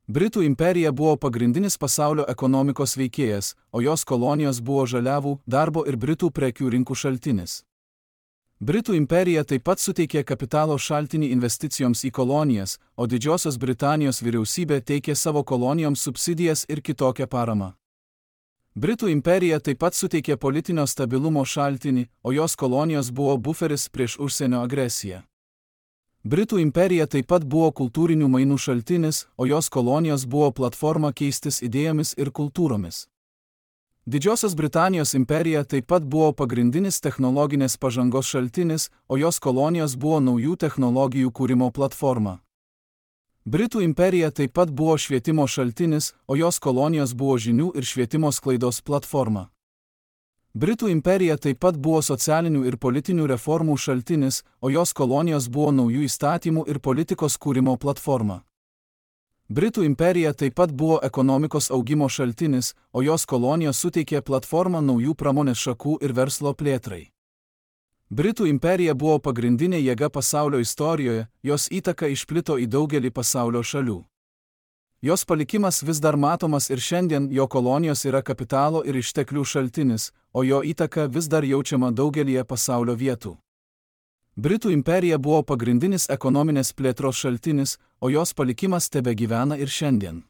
Britų imperija buvo pagrindinis pasaulio ekonomikos veikėjas, o jos kolonijos buvo žaliavų, darbo ir Britų prekių rinkų šaltinis. Britų imperija taip pat suteikė kapitalo šaltinį investicijoms į kolonijas, o Didžiosios Britanijos vyriausybė teikė savo kolonijoms subsidijas ir kitokią paramą. Britų imperija taip pat suteikė politinio stabilumo šaltinį, o jos kolonijos buvo buferis prieš užsienio agresiją. Britų imperija taip pat buvo kultūrinių mainų šaltinis, o jos kolonijos buvo platforma keistis idėjomis ir kultūromis. Didžiosios Britanijos imperija taip pat buvo pagrindinis technologinės pažangos šaltinis, o jos kolonijos buvo naujų technologijų kūrimo platforma. Britų imperija taip pat buvo švietimo šaltinis, o jos kolonijos buvo žinių ir švietimo sklaidos platforma. Britų imperija taip pat buvo socialinių ir politinių reformų šaltinis, o jos kolonijos buvo naujų įstatymų ir politikos kūrimo platforma. Britų imperija taip pat buvo ekonomikos augimo šaltinis, o jos kolonijos suteikė platformą naujų pramonės šakų ir verslo plėtrai. Britų imperija buvo pagrindinė jėga pasaulio istorijoje, jos įtaka išplito į daugelį pasaulio šalių. Jos palikimas vis dar matomas ir šiandien, jo kolonijos yra kapitalo ir išteklių šaltinis, o jo įtaka vis dar jaučiama daugelyje pasaulio vietų. Britų imperija buvo pagrindinis ekonominės plėtros šaltinis, o jos palikimas tebegyvena ir šiandien.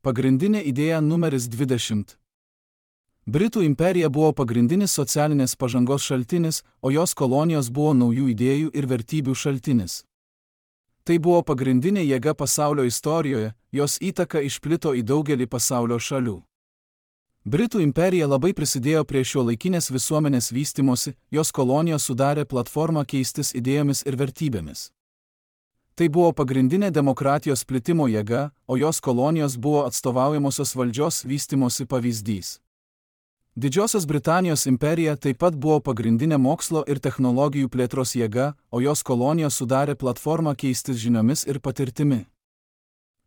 Pagrindinė idėja numeris 20. Britų imperija buvo pagrindinis socialinės pažangos šaltinis, o jos kolonijos buvo naujų idėjų ir vertybių šaltinis. Tai buvo pagrindinė jėga pasaulio istorijoje, jos įtaka išplito į daugelį pasaulio šalių. Britų imperija labai prisidėjo prie šiuolaikinės visuomenės vystimosi, jos kolonijos sudarė platformą keistis idėjomis ir vertybėmis. Tai buvo pagrindinė demokratijos plitimo jėga, o jos kolonijos buvo atstovaujamosios valdžios vystimosi pavyzdys. Didžiosios Britanijos imperija taip pat buvo pagrindinė mokslo ir technologijų plėtros jėga, o jos kolonijos sudarė platformą keistis žiniomis ir patirtimi.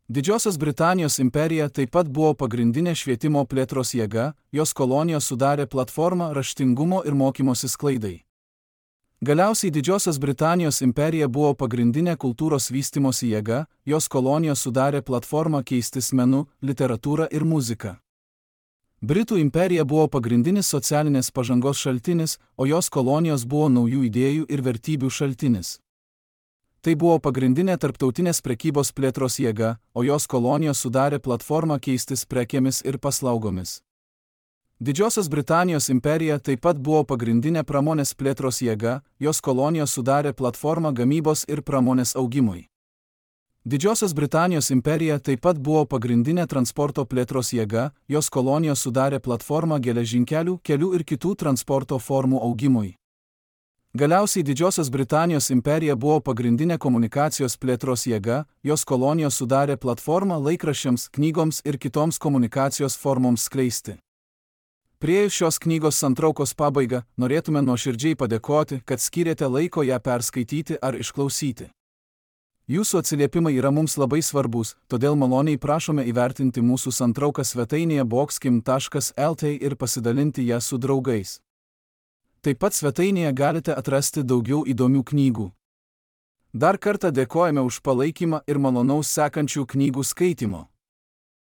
Didžiosios Britanijos imperija taip pat buvo pagrindinė švietimo plėtros jėga, jos kolonijos sudarė platformą raštingumo ir mokymosi sklaidai. Galiausiai Didžiosios Britanijos imperija buvo pagrindinė kultūros vystimosi jėga, jos kolonijos sudarė platformą keistis menu, literatūra ir muzika. Britų imperija buvo pagrindinis socialinės pažangos šaltinis, o jos kolonijos buvo naujų idėjų ir vertybių šaltinis. Tai buvo pagrindinė tarptautinės prekybos plėtros jėga, o jos kolonijos sudarė platformą keistis prekėmis ir paslaugomis. Didžiosios Britanijos imperija taip pat buvo pagrindinė pramonės plėtros jėga, jos kolonijos sudarė platformą gamybos ir pramonės augimui. Didžiosios Britanijos imperija taip pat buvo pagrindinė transporto plėtros jėga, jos kolonijos sudarė platformą geležinkelių, kelių ir kitų transporto formų augimui. Galiausiai Didžiosios Britanijos imperija buvo pagrindinė komunikacijos plėtros jėga, jos kolonijos sudarė platformą laikraščiams, knygoms ir kitoms komunikacijos formoms skleisti. Priėjus šios knygos santraukos pabaigą, norėtume nuoširdžiai padėkoti, kad skyrėte laiko ją perskaityti ar išklausyti. Jūsų atsiliepimai yra mums labai svarbus, todėl maloniai prašome įvertinti mūsų santrauką svetainėje boxkim.lt ir pasidalinti ją su draugais. Taip pat svetainėje galite atrasti daugiau įdomių knygų. Dar kartą dėkojame už palaikymą ir malonaus sekančių knygų skaitimo.